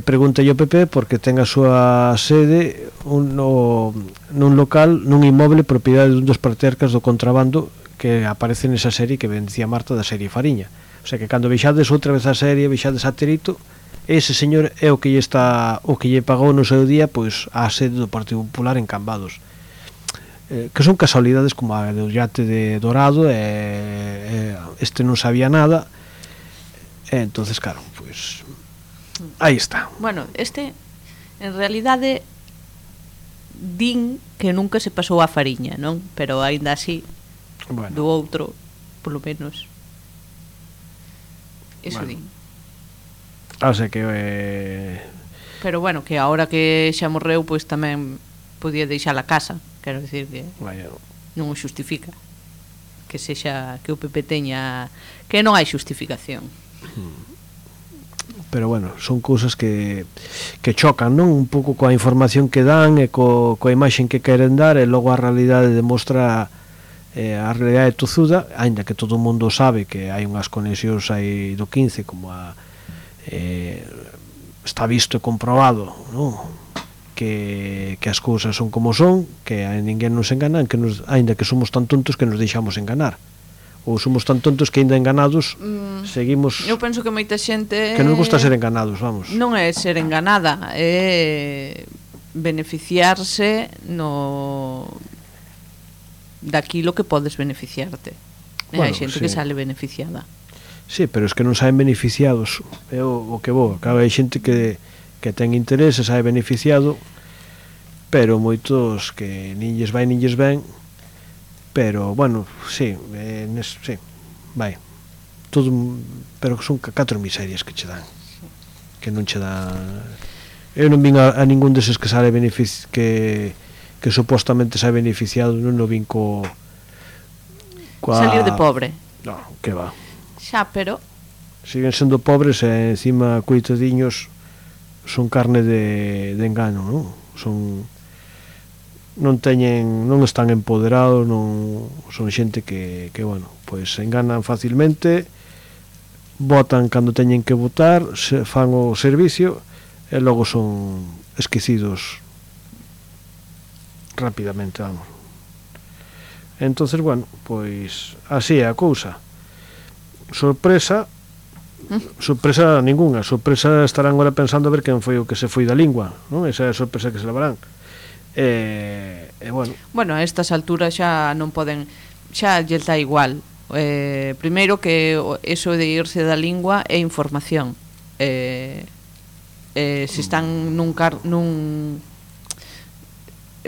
Pregúntalle ao PP porque ten a súa sede nun local, nun inmoble propiedade dun dos patriarcas do contrabando que aparece nesa serie que ben dicía Marta, da serie Fariña. O sea que cando vexades outra vez a serie, vexades a Terito, ese señor é o que lle pagou no seu día pois a sede do Partido Popular en Cambados, que son casualidades como a do Yate de Dorado, este non sabía nada, entonces claro, pois aí está. Bueno, en realidade din que nunca se pasou a Fariña, non? Pero aínda así, bueno, do outro, polo menos eso din. O sea que pero bueno, que agora que xa morreu, pois tamén podía deixar a casa, quero dicir que non o xustifica que sexa que o PP teña, que non hai xustificación. Pero bueno, son cousas que chocan, non? Un pouco coa información que dan e coa imaxen que queren dar, e logo a realidade demostra a realidade tozuda, aínda que todo o mundo sabe que hai unhas conexións aí do 15 como está visto e comprobado, non? Que as cousas son como son, que a ninguén nos enganan, que aínda que somos tan tontos que nos deixamos enganar, ou somos tan tontos que aínda enganados seguimos. Eu penso que moita xente que nos gusta ser enganados, vamos. Non é ser enganada, é beneficiarse daquilo que podes beneficiarte. Bueno, hai xente que sale beneficiada. Sí, pero es que non saen beneficiados, é o que vou. Acaba, hai xente que ten interese, sae beneficiado, pero moitos que nin lles vai nin lles ven. Pero, bueno, sí, sí, vai todo, pero son 4 miserias que che dan, que non che dan. Eu non vin a ningún deses que sale que supostamente sae beneficiado, non o vin salir de pobre. No, que va. Xa, pero siguen sendo pobres e encima coitadiños son carne de engano, non? Son non están empoderados, non son xente que bueno, pois se enganan facilmente, votan cando teñen que votar, fan o servicio e logo son esquecidos rapidamente, vamos. Entonces, bueno, pois así é a cousa. Sorpresa ninguna. Sorpresa estarán agora pensando a ver quen foi o que se foi da lingua, non? Esa é a sorpresa que se levarán. Bueno, a estas alturas xa non poden, xa lles dá igual. Primeiro que eso de irse da lingua é información. Se están nun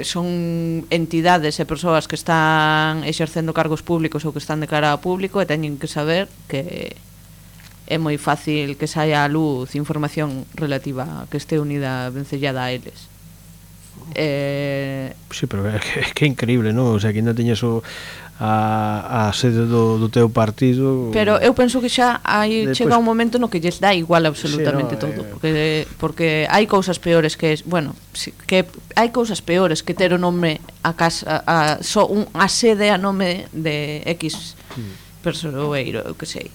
son entidades e persoas que están exercendo cargos públicos ou que están de cara ao público e teñen que saber que é moi fácil que saia á luz información relativa que este unida vencellada a eles. Sí, pero é que é increíble, non? O sea, que ainda teñes a sede do teu partido. Pero eu penso que xa chega un momento no que lles dá igual absolutamente todo, porque hai cousas peores que hai cousas peores que ter o nome a casa, a sede a nome de X persoeiro, eu que sei.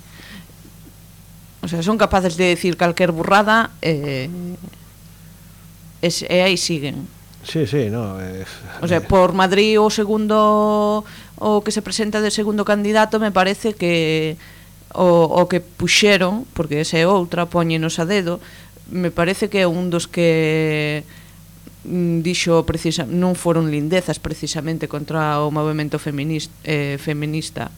O sea, son capaces de decir calquer burrada e aí siguen. Sí, no. O sea, por Madrid o segundo o que se presenta de segundo candidato, me parece que o que puxeron, porque esa é outra, poñenos a dedo, me parece que é un dos que dixo non foron lindezas precisamente contra o movemento feminista.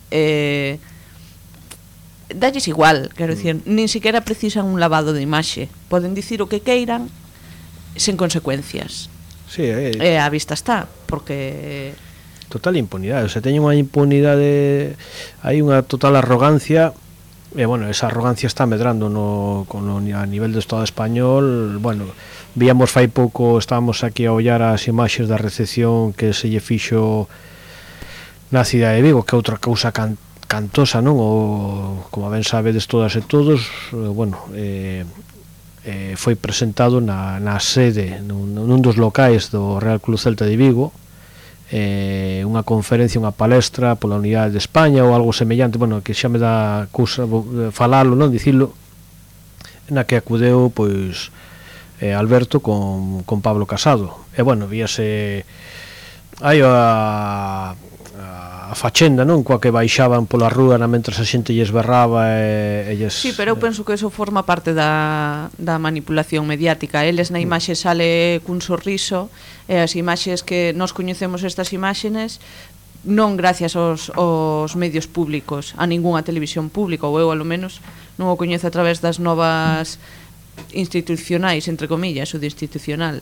Dalles igual, quero dicir, nin siquiera precisan un lavado de imaxe, poden dicir o que queiran sen consecuencias. Sí, a vista está, porque total impunidade, o sea, teñen unha impunidade, hai unha total arrogancia, e bueno, esa arrogancia está medrando a nivel do Estado español. Bueno, víamos fai pouco, estábamos aquí a ollar as imaxes da recepción que se lle fixo na cidade de Vigo, que é outra cousa cantosa, non? O, como ben sabedes todas e todos, bueno, foi presentado na sede nun dos locais do Real Club Celta de Vigo, unha conferencia, unha palestra pola unidade de España ou algo semellante, bueno, que xa me dá cousa falalo, non, dicilo, na que acudeu pois Alberto con Pablo Casado, e bueno, víase hai a fachenda, non, coa que baixaban pola rúa mentre a xente lles berraba e lles... Sí, pero eu penso que eso forma parte da manipulación mediática. Eles na imaxe sale cun sorriso, e as imaxes que nós coñecemos estas imaxes non gracias aos medios públicos, a ningunha televisión pública, ou eu alo menos non o coñezo a través das novas institucionais, entre comillas, o de institucional,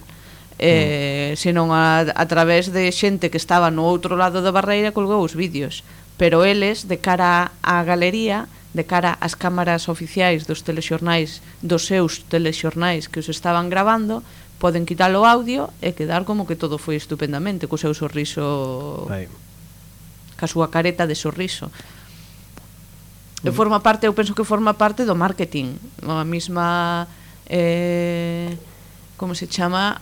senón a través de xente que estaba no outro lado da barreira colgou os vídeos, pero eles de cara á galería, de cara ás cámaras oficiais dos telexornais, dos seus telexornais que os estaban gravando, poden quitar o audio e quedar como que todo foi estupendamente, co seu sorriso, ca súa careta de sorriso. Forma parte, eu penso que forma parte do marketing, a mesma como se chama,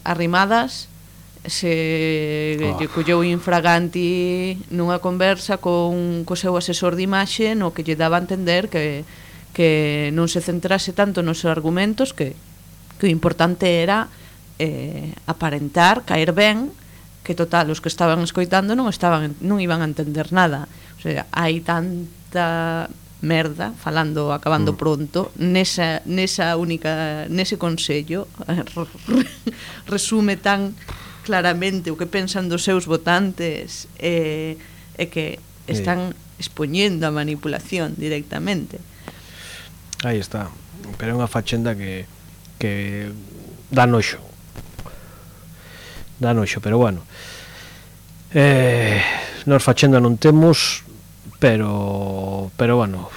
Arrimadas se colleu infraganti nunha conversa co seu asesor de imaxe, no que lle daba a entender que non se centrase tanto nos argumentos, que o importante era aparentar, caer ben, que total, os que estaban escoitando non iban a entender nada. O sea, hai tanta merda, acabando pronto, nese consello resume tan claramente o que pensan dos seus votantes, e que están expoñendo a manipulación directamente. Aí está, pero é unha fachenda que dá noxo, pero bueno, nós fachenda non temos, pero bueno,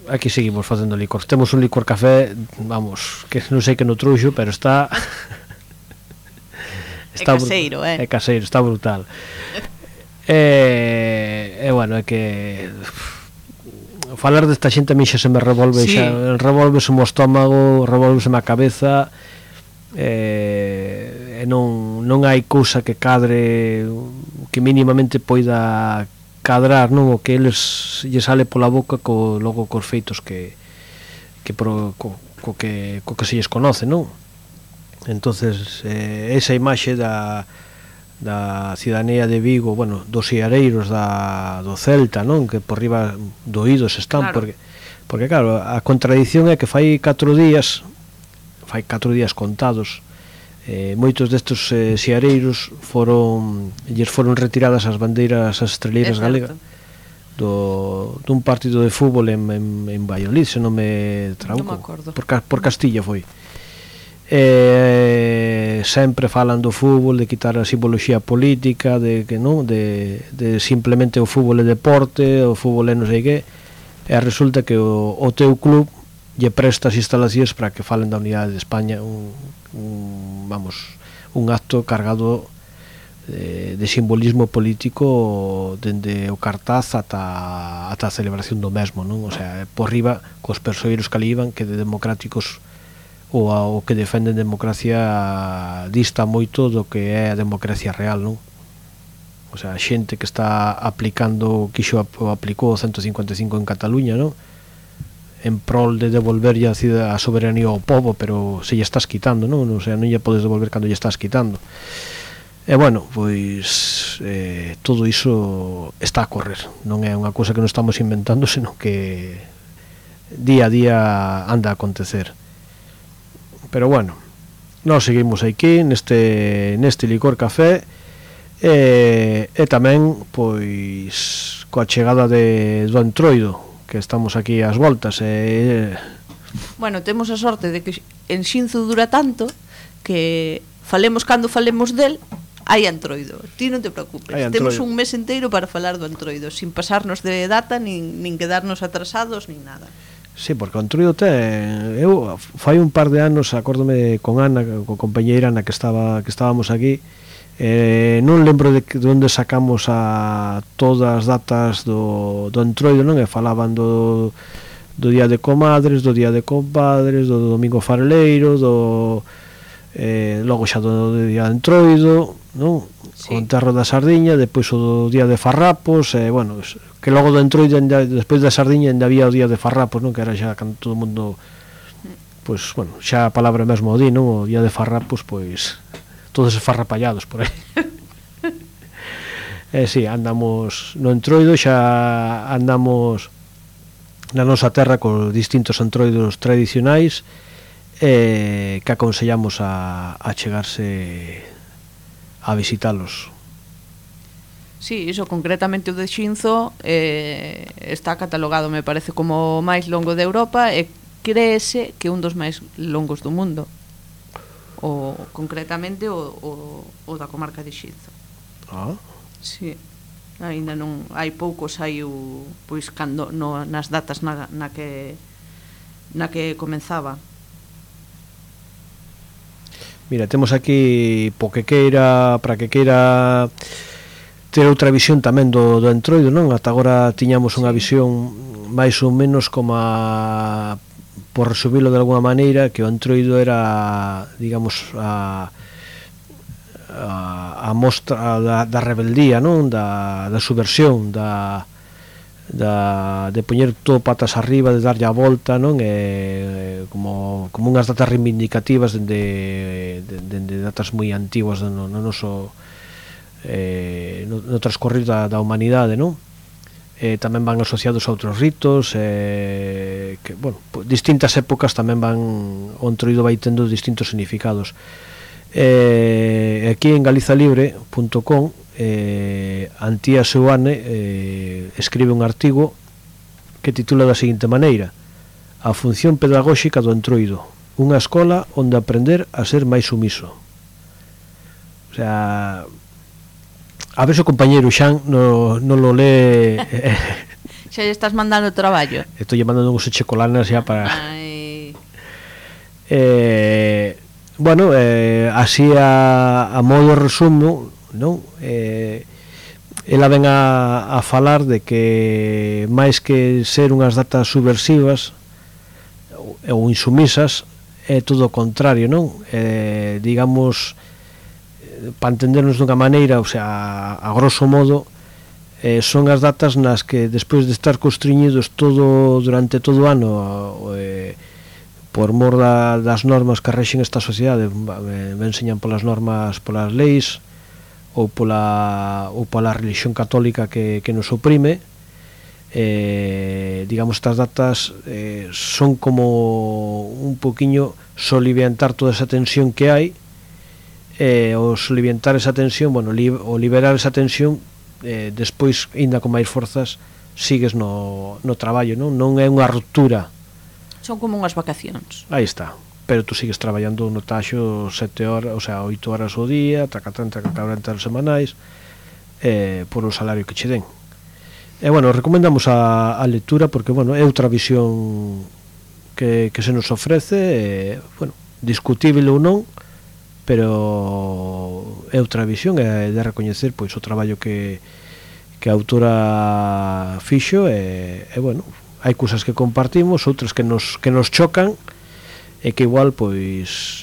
aquí seguimos facendo licor. Temos un licor café, vamos, que non sei que no truxo, pero está é caseiro, é caseiro, está brutal. E bueno, é que falar desta xente a mí xa se me revolve, sí. Xa revolvese o estómago, revolvese a cabeza, non hai cousa que cadre, que mínimamente poida cadrar, non, o que eles lle sale pola boca logo cos feitos que se lles conoce, non? Entonces esa imaxe da cidadanía de Vigo, bueno, dos siareiros do Celta, non, que por riba do oídos están, claro. Porque claro, a contradición é que fai 4 días contados, moitos destes siareiros lles foron retiradas as bandeiras, as estreleiras galegas dun partido de fútbol en Valladolid, se non me tranco, por Castilla foi. Sempre falan do fútbol, de quitar a simboloxía política, de que non, de simplemente o fútbol é deporte, o fútbol é non sei que, e resulta que o teu club lle presta as instalacións para que falen da unidade de España, un acto cargado de simbolismo político dende o cartaz ata a celebración do mesmo, non? O sea, por riba cos persoeiros que ali iban, que de democráticos ou que defenden democracia dista moito do que é a democracia real, non? O sea, a xente que está aplicou o 155 en Cataluña, non? En prol de devolverlle a soberanía ao povo, pero se lle estás quitando, non? O sea, non lle podes devolver cando lle estás quitando. E bueno, pois todo iso está a correr, non é unha cousa que non estamos inventando, senón que día a día anda a acontecer. Pero bueno, nós seguimos aquí neste licor café e tamén pois coa chegada do Entroido, que estamos aquí ás voltas. Bueno, temos a sorte de que en Xinzo dura tanto que falemos cando falemos del, hai Entroido, ti non te preocupes, temos un mes inteiro para falar do Entroido, sin pasarnos de data, nin quedarnos atrasados, nin nada. Sí, porque o Entroido eu fai un par de anos, acórdome con Ana, con compañeira Ana, que estábamos aquí, non lembro de onde sacamos a todas as datas do Entroido, non? E falaban do día de comadres, do día de compadres, do domingo fareleiro, logo xa do día de Entroido, non? Sí. O enterro da sardiña, depois o día de farrapos, bueno, que logo do Entroido, despois da sardiña ainda había o día de farrapos, non? Que era xa cando todo o mundo, pois, bueno, xa a palabra mesmo o di, non? O día de farrapos, pois todos esfarrapallados por aí. Si, andamos no Entroido, xa andamos na nosa terra con distintos entroidos tradicionais que aconsellamos a chegarse a visitalos. Sí, iso concretamente o de Xinzo está catalogado, me parece, como o máis longo de Europa e créese que un dos máis longos do mundo. O concretamente o da comarca de Xinzo. Sí. Ainda non hai poucos, hai pois cando nas datas na que comenzaba. Mira, temos aquí para que queira ter outra visión tamén do Entroido, non? Ata agora tiñamos unha visión máis ou menos como por resumilo de alguna maneira, que o Entroido era, digamos, a mostra da rebeldía, non? Da subversión, de poñer todo patas arriba, de darlle a volta, non? Como unhas datas reivindicativas dende datas moi antiguas no noso no transcorrer da humanidade, non? Tamén van asociados a outros ritos, que, bueno, distintas épocas tamén o Entroido vai tendo distintos significados. Aquí en galizalibre.com Antía Seuane escribe un artigo que titula da seguinte maneira: a función pedagóxica do Entroido, unha escola onde aprender a ser máis sumiso. O sea, a ver se o compañeiro Xan non lo lee. Xa lle estás mandando traballo. Estou lle mandando uns chocolanas xa para... Bueno, así a modo resumo, non? Ela ven a falar de que máis que ser unhas datas subversivas ou insumisas, é todo o contrario, non? Digamos, para entendernos dunha maneira, o sea, a grosso modo, son as datas nas que despois de estar constriñidos durante todo o ano por mor das normas que rexen esta sociedade, enseñan polas normas, polas leis ou pola religión católica que nos oprime, digamos, estas datas son como un poquinho soliviantar toda esa tensión que hai, o soliviantar esa tensión, bueno, o liberar esa tensión, despois, ainda con máis forzas, sigues no traballo, non é unha ruptura. Son como unhas vacacións. Aí está, pero tú sigues traballando no taxo 7 horas, o sea, 8 horas ao día, 40 semanais, por o salario que che den. E, bueno, recomendamos a lectura porque, bueno, é outra visión que se nos ofrece, bueno, discutível ou non, pero é outra visión, é de recoñecer pois o traballo que a autora fixo, e bueno, hai cousas que compartimos, outras que nos chocan, e que igual pois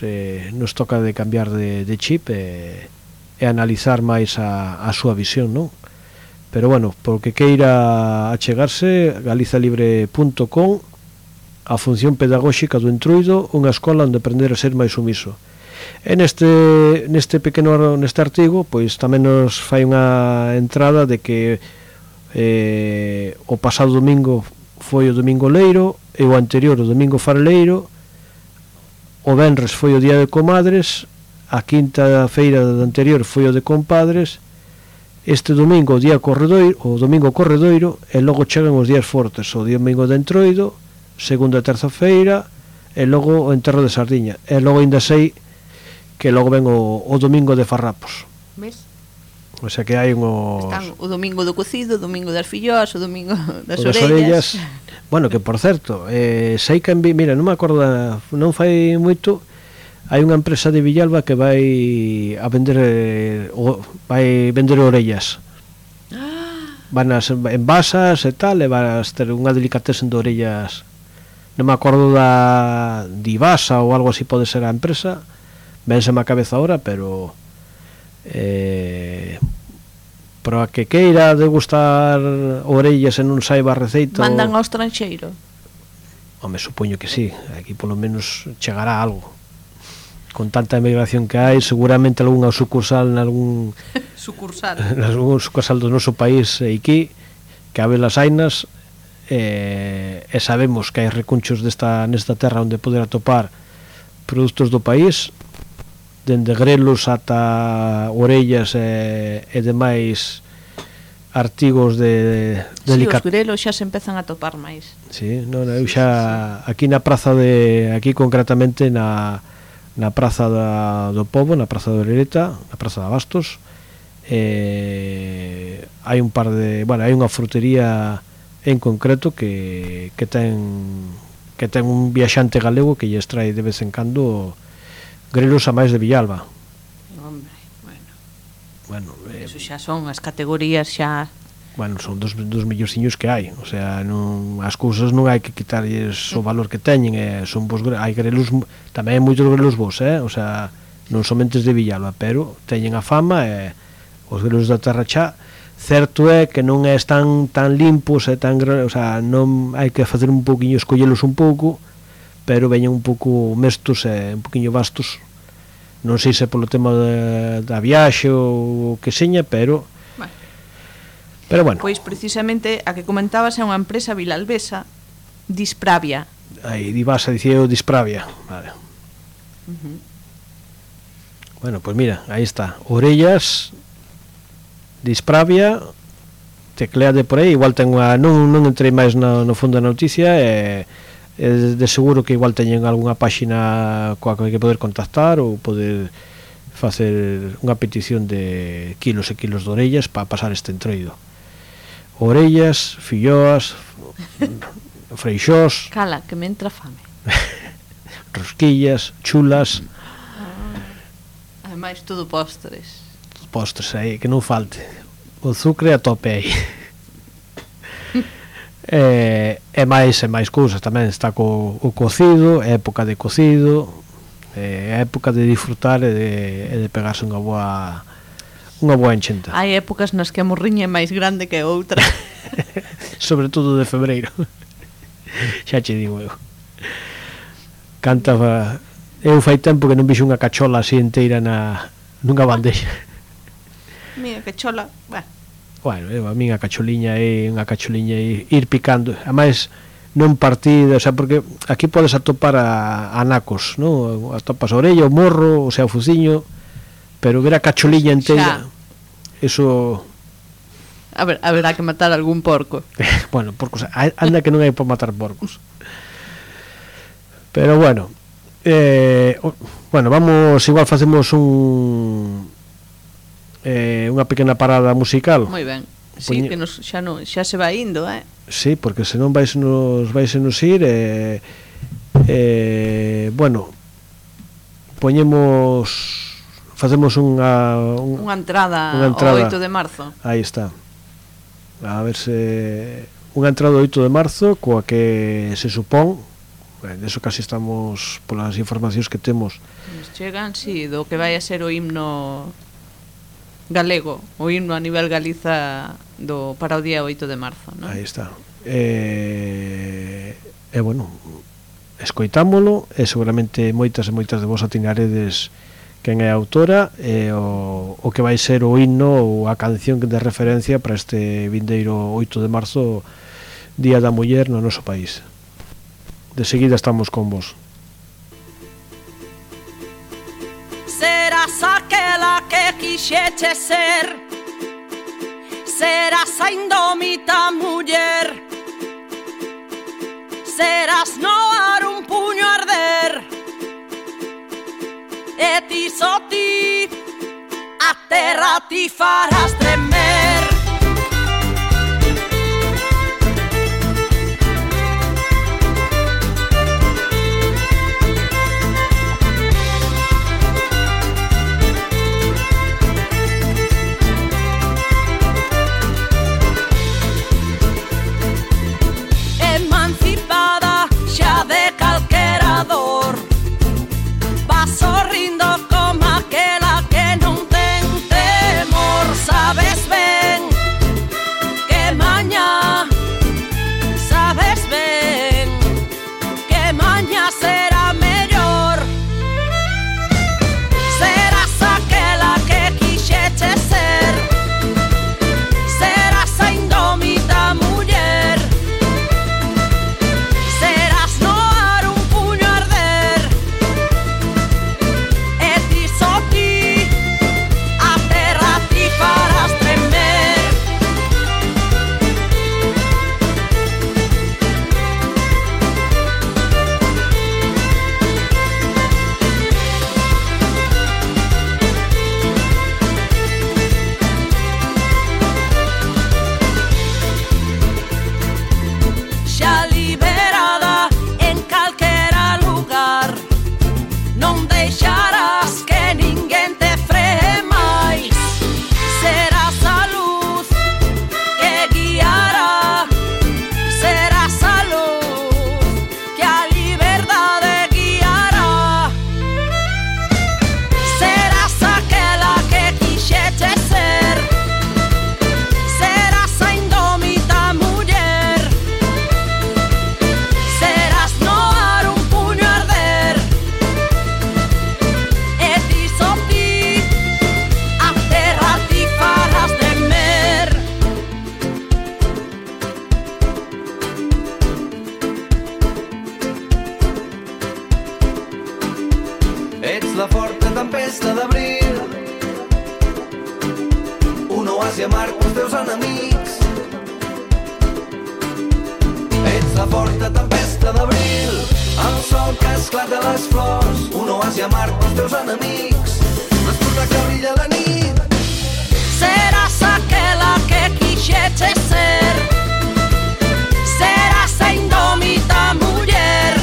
nos toca de cambiar de chip e analizar máis a súa visión, non? Pero bueno, porque queira achegarse, galizalibre.com, a función pedagóxica do Entruido, unha escola onde aprender a ser máis sumiso. E neste artigo, pois tamén nos fai unha entrada de que o pasado domingo foi o domingo leiro, e o anterior o domingo fareleiro, o venres foi o día de comadres, a quinta feira do anterior foi o de compadres, este domingo o domingo corredoiro, e logo chegan os días fortes, o domingo de Entroido, segunda e terza feira, e logo o enterro de Sardiña, e logo ainda sei que logo ven o domingo de Farrapos. Ves? O sea que hai están o domingo do cocido, o domingo das filloas, o domingo das orellas. Bueno, que por certo, sei que mira, non me acordo, non fai moito, hai unha empresa de Villalba que vai vender orellas. Van a ser envasas e tal, e vas ter unha delicatessen de orellas. Non me acordo de Ibasa ou algo así, pode ser a empresa, vénseme a cabeza ahora, pero a que queira degustar orellas e non saiba a receita, mandan ao estranxeiro? Home, supoño que sí, aquí polo menos chegará algo. Con tanta emigración que hai, seguramente algunha sucursal nalgún sucursal do noso país aquí, que a velas ainas, e sabemos que hai recunchos nesta terra onde poder atopar produtos do país, dende grelos ata orellas e demais artigos de os grelos xa se empezan a topar máis. Sí, non, eu xa aquí na praza aquí concretamente na praza do Pobo, na praza de Orereta, na praza de Abastos, hai un par de, bueno, hai unha frutería en concreto que ten un viaxante galego que lle extrae de vez en cando grelos a máis de Villalba. Hombre, bueno, eso xa son as categorías xa. Bueno, son dos mellorciños que hai, o sea, as cousas non hai que quitarlles o valor que teñen, son bons, hai grelos, tamén hai moitos grelos bons, o sea, non somente de Villalba, pero teñen a fama, e os grelos da terra xa, certo é que non están tan limpos e tan, o sea, non hai que facer un poquinho, escollelos un pouco, pero veñen un pouco mestos e un poquinho vastos, non sei se polo tema da viaxe ou que seña, pero bueno. Pois precisamente a que comentabas é unha empresa vilalbesa, Dispravia. Aí, Divasa, dicía eu Dispravia, vale. Bueno, pois mira, aí está, orellas, Dispravia, tecleade por aí, igual ten unha, non entrei máis no fondo da noticia, de seguro que igual teñen algunha páxina coa que poder contactar ou poder facer unha petición de kilos e kilos de orellas para pasar este entroido. Orellas, filloas, freixós, cala, que me entra fame. Rosquillas, chulas, ademais todo postres aí, que non falte o azucre a tope aí. E máis cousas tamén, está o cocido, época de cocido, É a época de disfrutar e de pegarse unha boa enchenta. Hai épocas nas que a morriña é máis grande que outra. Sobre todo de febreiro. Xa che digo eu. Cantaba. Eu fai tempo que non vixo unha cachola así inteira nunha bandeja. Mira, cachola, Bueno, a min a cacholiña é unha cacholiña ir picando. Ademais, non partida, o sea, porque aquí podes atopar a nacos, non? Atopas a orella, o morro, o sea, o fuciño, pero ver a cacholiña inteira, eso... A ver, haberá que matar algún porco. Bueno, porcos, anda que non hai para matar porcos. Pero bueno, vamos, igual facemos unha pequena parada musical. Moi ben. Sí, que xa se vai indo, Sí, porque senón vais nos ir bueno, facemos unha entrada ao 8 de marzo. Aí está. A ver se unha entrada ao 8 de marzo coa que se supón, deso casi estamos polas informacións que temos. Nos chegan, sí, do que vai a ser o himno galego, o himno a nivel Galiza para o día 8 de marzo, non? Aí está. Bueno, escoitámolo e seguramente moitas de vos atinaredes quen é a autora e o que vai ser o himno ou a canción de referencia para este vindeiro 8 de marzo, Día da Muller no noso país. De seguida estamos con vos. Serás aquela que quixeche ser, serás a indómita muller, serás no ar un puño arder, e ti só ti a terra ti farás tremer. Emancipada xa de calquera dor, vas sorrindo como aquela que non ten temor. Sabes ben que mañá, sabes ben que mañá será mellor. Serás aquela que quixeche ser, serás a indómita muller, serás no ar un puño arder, e ti só ti a terra ti farás tremer. Xa liberada en calquera lugar, non deixarás que ninguén te free máis. Serás a luz que guiará, serás a luz que a liberdade guiará. Serás aquela que quixeche ser, serás a indómita muller, serás no ar un puño arder, e ti só ti a terra ti farás tremer. Ets la forta tempesta d'abril, un oasi amarg pels teus enemics. Ets la forta tempesta d'abril, el sol que esclata les flors, un oasi amarg pels teus enemics. L'esporta que brilla la nit. Serás aquela que quixeche ser, serás a indómita muller,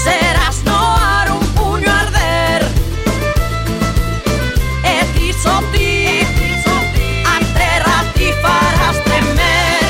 serás no ar un puño arder, e ti só ti a terra ti farás tremer.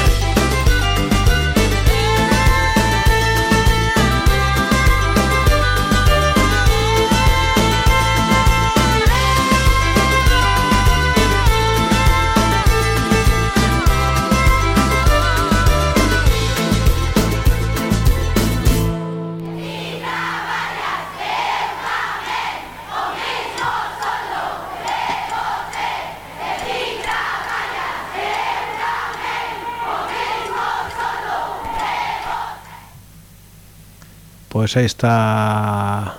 Pois aí está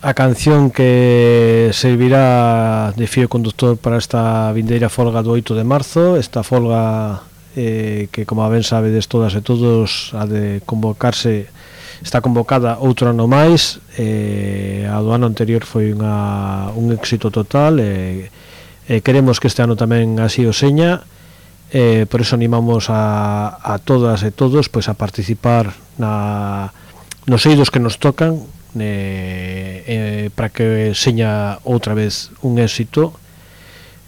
a canción que servirá de fío conductor para esta vindeira folga do 8 de marzo. Esta folga que, como ben sabedes todas e todos, ha de convocarse, está convocada outro ano máis. A do ano anterior foi un éxito total, e queremos que este ano tamén así o seña. Por eso animamos a todas e todos pois a participar nos eidos que nos tocan, para que seña outra vez un éxito,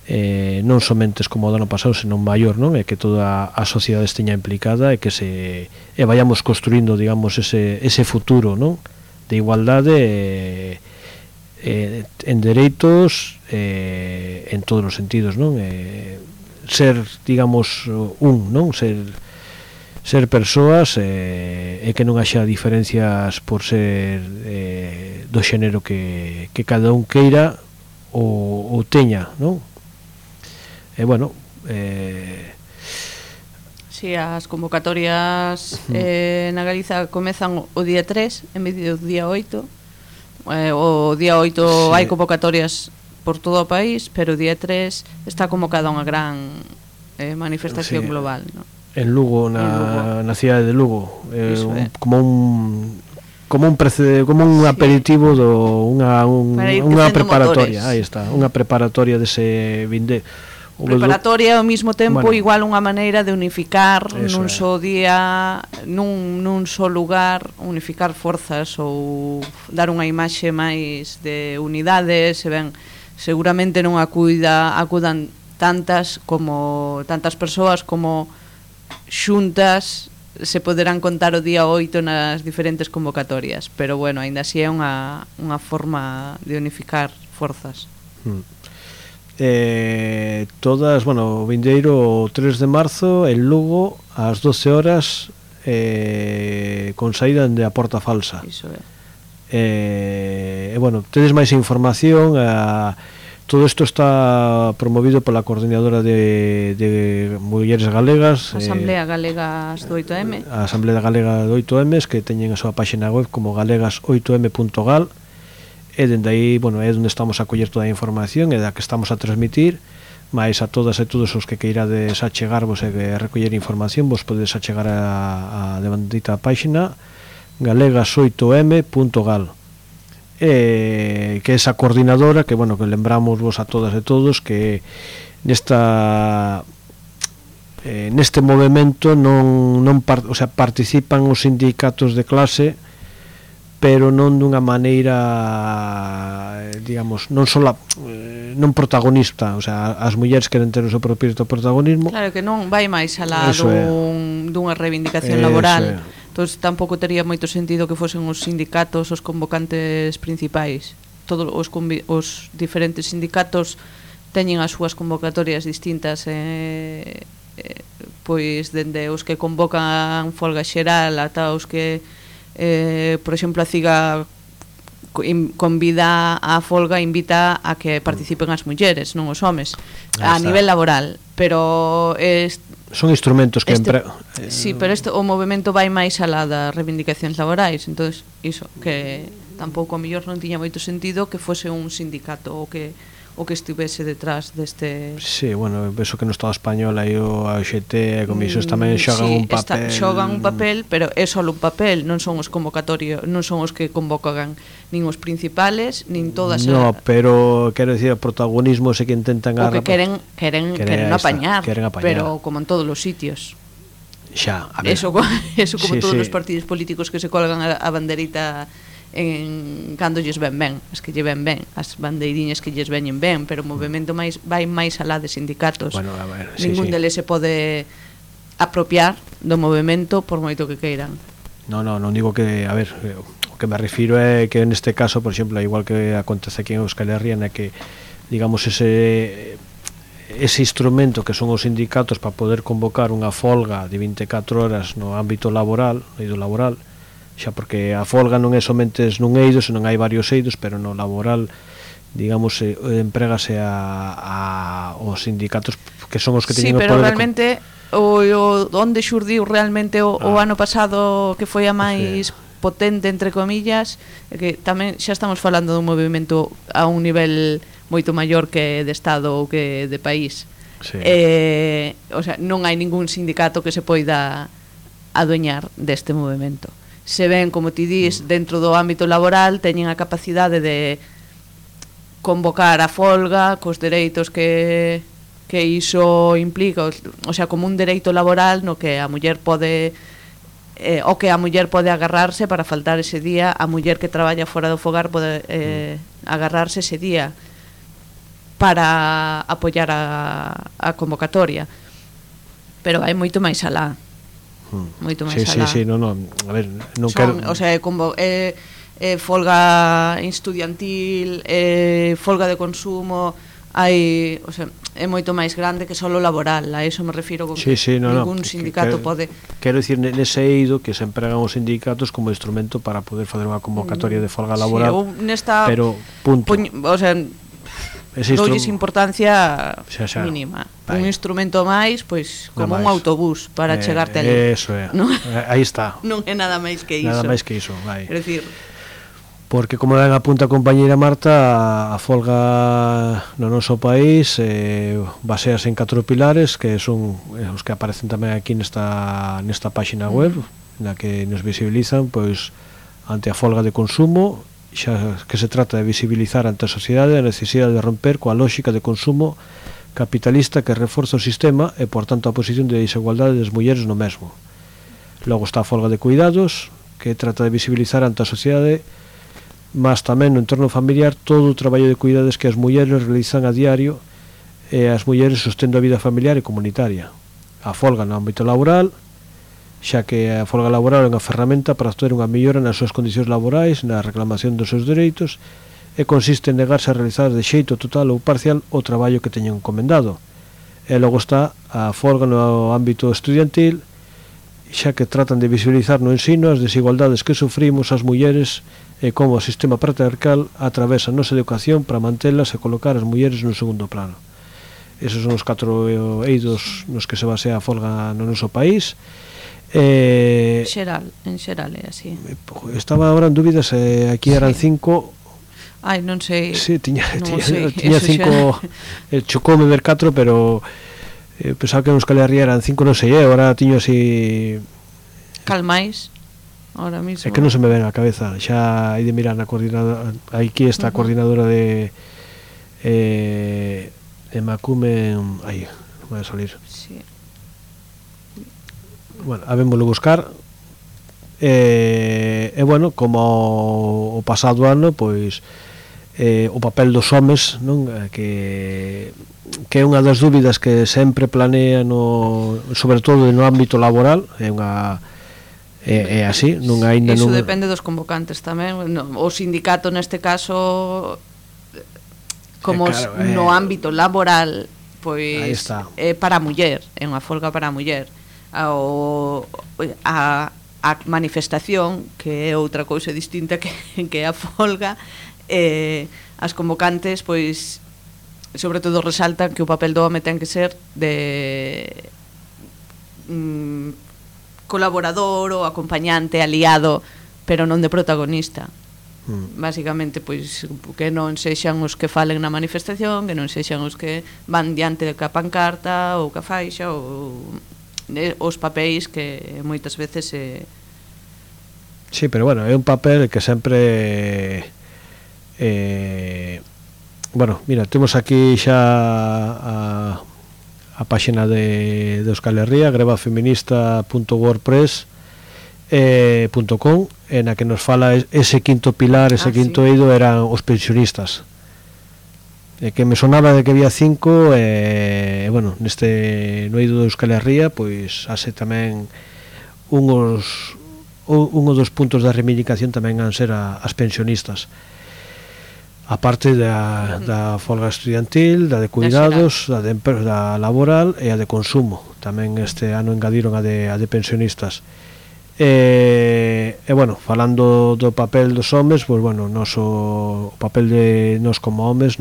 non somente como o ano pasado, senón maior, non? E que toda a sociedade esteña implicada e que vayamos construindo, digamos, ese futuro, non? De igualdade en dereitos, en todos os sentidos, non? Ser, digamos, non? Ser persoas, e que non haxa diferencias por ser do xénero que cada un queira ou teña, non? E bueno, Si, as convocatorias na Galiza comezan o día 3 en vez do día 8. O día 8 hai convocatorias por todo o país, pero o día 3 está convocada unha gran manifestación global, non? En Lugo, na cidade de Lugo, como un aperitivo unha preparatoria. Aí está, unha preparatoria dese vinde. Preparatoria ao mesmo tempo, igual unha maneira de unificar nun só día, nun só lugar, unificar forzas ou dar unha imaxe máis de unidade. Se ben, seguramente non acudan tantas persoas como xuntas se poderán contar o día 8 nas diferentes convocatorias, pero bueno, aínda así é unha forma de unificar forzas. Todas, bueno, o vindeiro 3 de marzo en Lugo ás 12 horas, con saída de a Porta Falsa. Iso é. Bueno, tedes máis información. Todo isto está promovido pola Coordinadora de Mulleres Galegas, Asamblea Galegas do 8M. A Asamblea Galega do 8M, que teñen a súa páxina web como galegas8m.gal, e dende aí, bueno, é onde estamos a coller toda a información e da que estamos a transmitir. Mais a todas e todos os que queirades achegarvos e recoller información, vos podedes achegar a devandita páxina galegas8m.gal, que é esa coordinadora que, bueno, que lembramos vos a todas e todos que neste movimento participan os sindicatos de clase, pero non dunha maneira, digamos, non protagonista. O sea, as mulleres queren ter o seu propio protagonismo. Claro, que non vai máis alá dunha reivindicación laboral. Entón, tampouco tería moito sentido que fosen os sindicatos os convocantes principais. Todos os diferentes sindicatos teñen as súas convocatorias distintas, pois dende os que convocan folga xeral ata os que, por exemplo, a CIGA convida a folga, invita a que participen as mulleres, non os homes, a nivel laboral, pero son instrumentos que sí, pero o movimento vai máis alá das reivindicacións laborais. Entón, iso, que tampouco a mellor non tiña moito sentido que fose un sindicato o que estivese detrás deste... Sí, bueno, penso que no Estado español aí o AXT e comisións tamén xogan un papel. Xogan un papel, pero é só un papel, non son os convocatorios, non son os que convocan nin os principales, nin todas... No, pero quero dicir, o protagonismo é que intentan... O que queren apañar, pero como en todos os sitios. Xa, a ver. Eso como todos os partidos políticos que se colgan a banderita cando lles ven ben, as que lle ven ben, as bandeiriñas que lles veñen ben, pero o movimento vai máis alá de sindicatos. Bueno, a ver, ningún deles se pode apropiar do movimento por moito que queiran. Non digo que, a ver, o que me refiro é que neste caso, por exemplo, igual que acontece aquí en Euskal Herria, que, digamos, ese instrumento que son os sindicatos para poder convocar unha folga de 24 horas no ámbito laboral, xa porque a folga non é somente nun eido, senón hai varios eidos, pero no laboral, digamos, emprégase aos sindicatos que son os que teñen o poder. Sí, pero realmente onde xurdiu realmente o ano pasado, que foi a máis potente, entre comillas, que tamén xa estamos falando dun movimento a un nivel moito maior que de Estado ou que de país. Sí. O sea, non hai ningún sindicato que se poida adueñar deste movimento. Se ven, como ti dís, dentro do ámbito laboral, teñen a capacidade de convocar a folga cos dereitos que iso implica, o sea, como un dereito laboral no que a muller pode o que a muller pode agarrarse para faltar ese día, a muller que traballa fora do fogar pode agarrarse ese día para apoiar a convocatoria. Pero hai moito máis alá. Moito máis alá. Sí, non, a ver, non quero... O sea, folga estudiantil, folga de consumo, hai, o sea, é moito máis grande que só o laboral, a eso me refiro con que ningún sindicato pode. Quero dicir, nese eido que se empregan os sindicatos como instrumento para poder fazer unha convocatoria de folga laboral, pero punto. O sea, doulles importancia mínima. Un instrumento máis, pois, como un autobús para chegarte ali. Eso é, aí está. Non é nada máis que iso. Nada máis que iso, vai. É dicir, porque, como ben apunta a compañeira Marta, a folga no noso país basease en 4 pilares, que son os que aparecen tamén aquí nesta páxina web, na que nos visibilizan, pois, ante a folga de consumo, xa que se trata de visibilizar ante a sociedade a necesidade de romper coa lógica de consumo capitalista que reforza o sistema e, por tanto, a posición de desigualdade das mulleres no mesmo. Logo está a folga de cuidados, que trata de visibilizar ante a sociedade, mas tamén no entorno familiar, todo o traballo de cuidados que as mulleres realizan a diario e as mulleres sostendo a vida familiar e comunitaria. A folga no ámbito laboral, xa que a folga laboral é unha ferramenta para obter unha mellora nas súas condicións laborais, na reclamación dos seus dereitos, e consiste en negarse a realizar de xeito total ou parcial o traballo que teñen encomendado. E logo está a folga no ámbito estudiantil, xa que tratan de visibilizar no ensino as desigualdades que sufrimos as mulleres e como o sistema patriarcal atravesa a nosa educación para mantelas e colocar as mulleres no segundo plano. Esos son os 4 eidos nos que se basea a folga no noso país. En xeral é así. Estaba agora en dúbidas, aquí eran 5. Ai, non sei. Sí, tiña 5, chocoume ver 4, pero pensaba que nos Calería eran 5, non sei, agora tiño así... Calmáis, ahora mismo. É que non se me ven a cabeza, xa hai de mirar na coordinadora, aquí está a coordinadora de Macume, aí, non vai a salir. Sí. Bueno, habémoslo buscar. E bueno, como o pasado ano, pois o papel dos homes, non, que é unha das dúbidas que sempre planea sobre todo no ámbito laboral, é así, non aínda non. Iso depende dos convocantes tamén, o sindicato neste caso, como claro, no ámbito laboral, pois é para a muller, é unha folga para a muller. A manifestación, que é outra cousa distinta que a folga, as convocantes, pois, sobre todo resaltan que o papel do home ten que ser de colaborador ou acompañante, aliado, pero non de protagonista. Básicamente, pois, que non sexan os que falen na manifestación, que non sexan os que van diante da pancarta ou ca faixa, ou os papéis que moitas veces Sí, pero bueno, é un papel que sempre bueno, mira, temos aquí xa a páxina de Euskal Herria, grebafeminista.wordpress.com, na que nos fala ese quinto pilar, ese quinto eido eran os pensionistas, que me sonaba de que había 5, bueno, neste no eido de Euskal Herria, pois hace tamén un dos puntos da reivindicación tamén han ser as pensionistas, a parte da folga estudiantil, da de cuidados, da laboral e a de consumo. Tamén este ano engadiron a de pensionistas. E bueno, falando do papel dos homes, pois bueno, o papel de nós como homes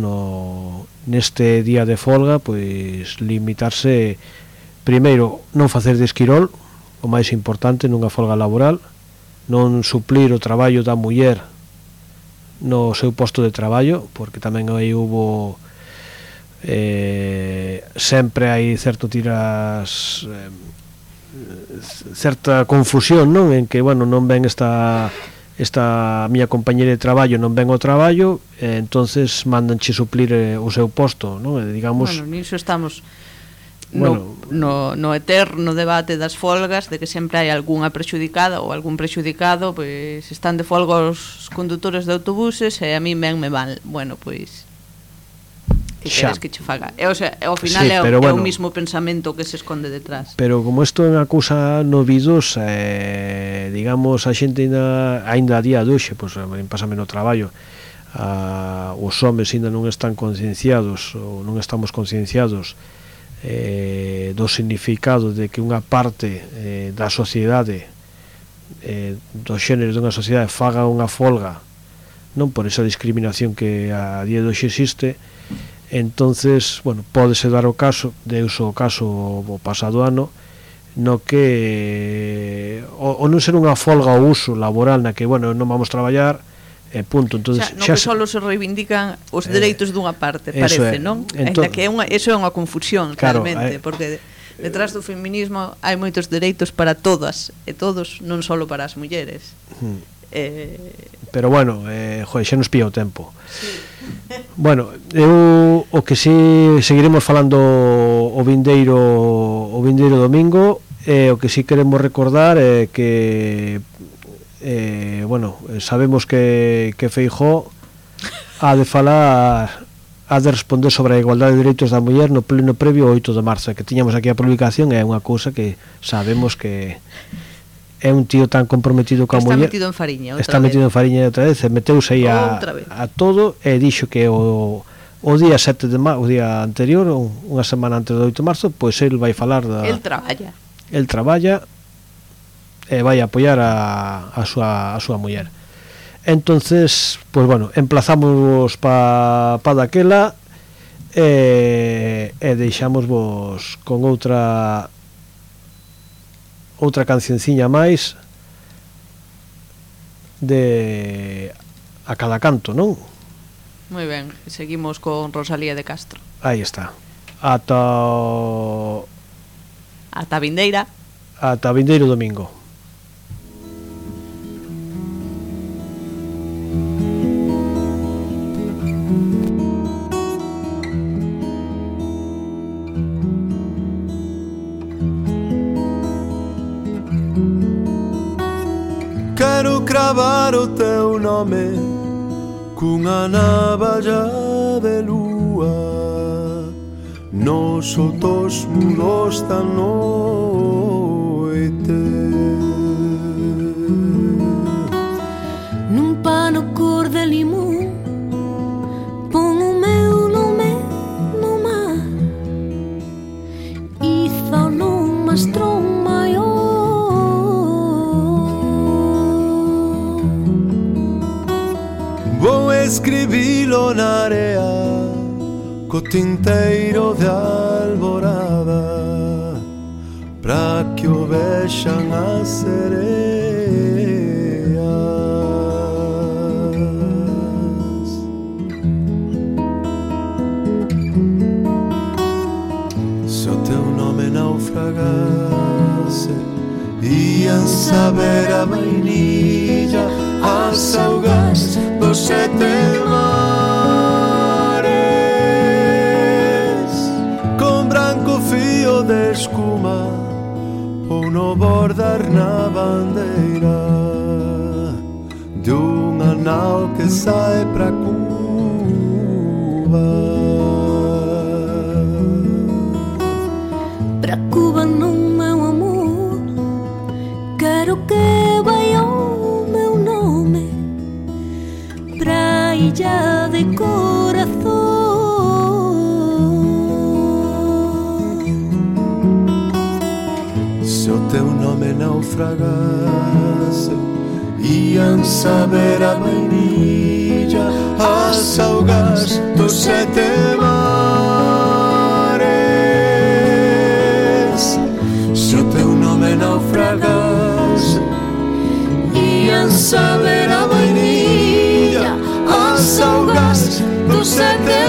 neste día de folga, pois limitarse, primeiro, non facer de esquirol, o máis importante nunha folga laboral, non suplir o traballo da muller no seu posto de traballo, porque tamén aí hubo sempre hai certa confusión, non? En que, bueno, non ven esta miña compañera de traballo, non ven o traballo, entonces mandanche suplir o seu posto, non? Digamos, bueno, niso estamos no eterno debate das folgas, de que sempre hai algunha prexudicada ou algún prexudicado, pois están de folga os condutores de autobuses e a mí me van, bueno, pois que queres que che faga. O sea, ao final sí, é o mismo pensamento que se esconde detrás. Pero como isto é unha cousa novidosa, digamos, a xente ainda a día de hoxe, pois pásame no traballo, os homes ainda non están concienciados ou non estamos concienciados do significado de que unha parte da sociedade, dos xéneros dunha sociedade, faga unha folga, non por esa discriminación que a día de hoxe existe. Entonces, bueno, pódese dar o caso, deus o caso o pasado ano, no que o non ser unha folga ao uso laboral na que, bueno, non vamos traballar, punto. Entonces, no que solo se reivindican os dereitos dunha parte, parece, non? Ainda que eso é unha confusión, claro, realmente, porque detrás do feminismo hai moitos dereitos para todas e todos, non só para as mulleres. Pero bueno, xa nos pilla o tempo. Sí. Bueno, eu o que si seguiremos falando o vindeiro domingo, o que si queremos recordar é que bueno, sabemos que Feijóo ha de falar, ha de responder sobre a igualdade de dereitos da muller no pleno previo ao 8 de marzo, que tiñamos aquí a publicación, é unha cousa que sabemos que é un tío tan comprometido coa muller, está metido en fariña outra vez, meteuse aí a todo, e dixo que o día 7 de marzo, o día anterior, unha semana antes do 8 de marzo, pois el vai falar el traballa e vai apoiar a súa muller. Entonces, pois bueno, emplazamos pa daquela e deixámosvos con outra cancionciña máis de A Cada Canto, non? Moi ben, seguimos con Rosalía de Castro. Aí está. Ata vindeira. Ata vindeiro domingo. Quero cravar o teu nome cunha navalla de lúa nos outros muros da noite. Nun pano cor de limón pon o meu nome no mar, iza nun mastrón maior. Vou escribilo na area co tinteiro de alborada pra que o vexan as sereas. Se o teu nome naufragase, ian saber a vainilla as augas dos 7 mares, con branco fío de escuma ou no bordar na bandeira de unha nao que sai pra Cuba. Pra Cuba non, meu amor, quero que vai o meu nome pra illa de corazón. Se o teu nome naufragase, ian saber a vainilla as augas dos 7 mares. Se o teu nome naufragase, sen saber a vainilla, as augas do sete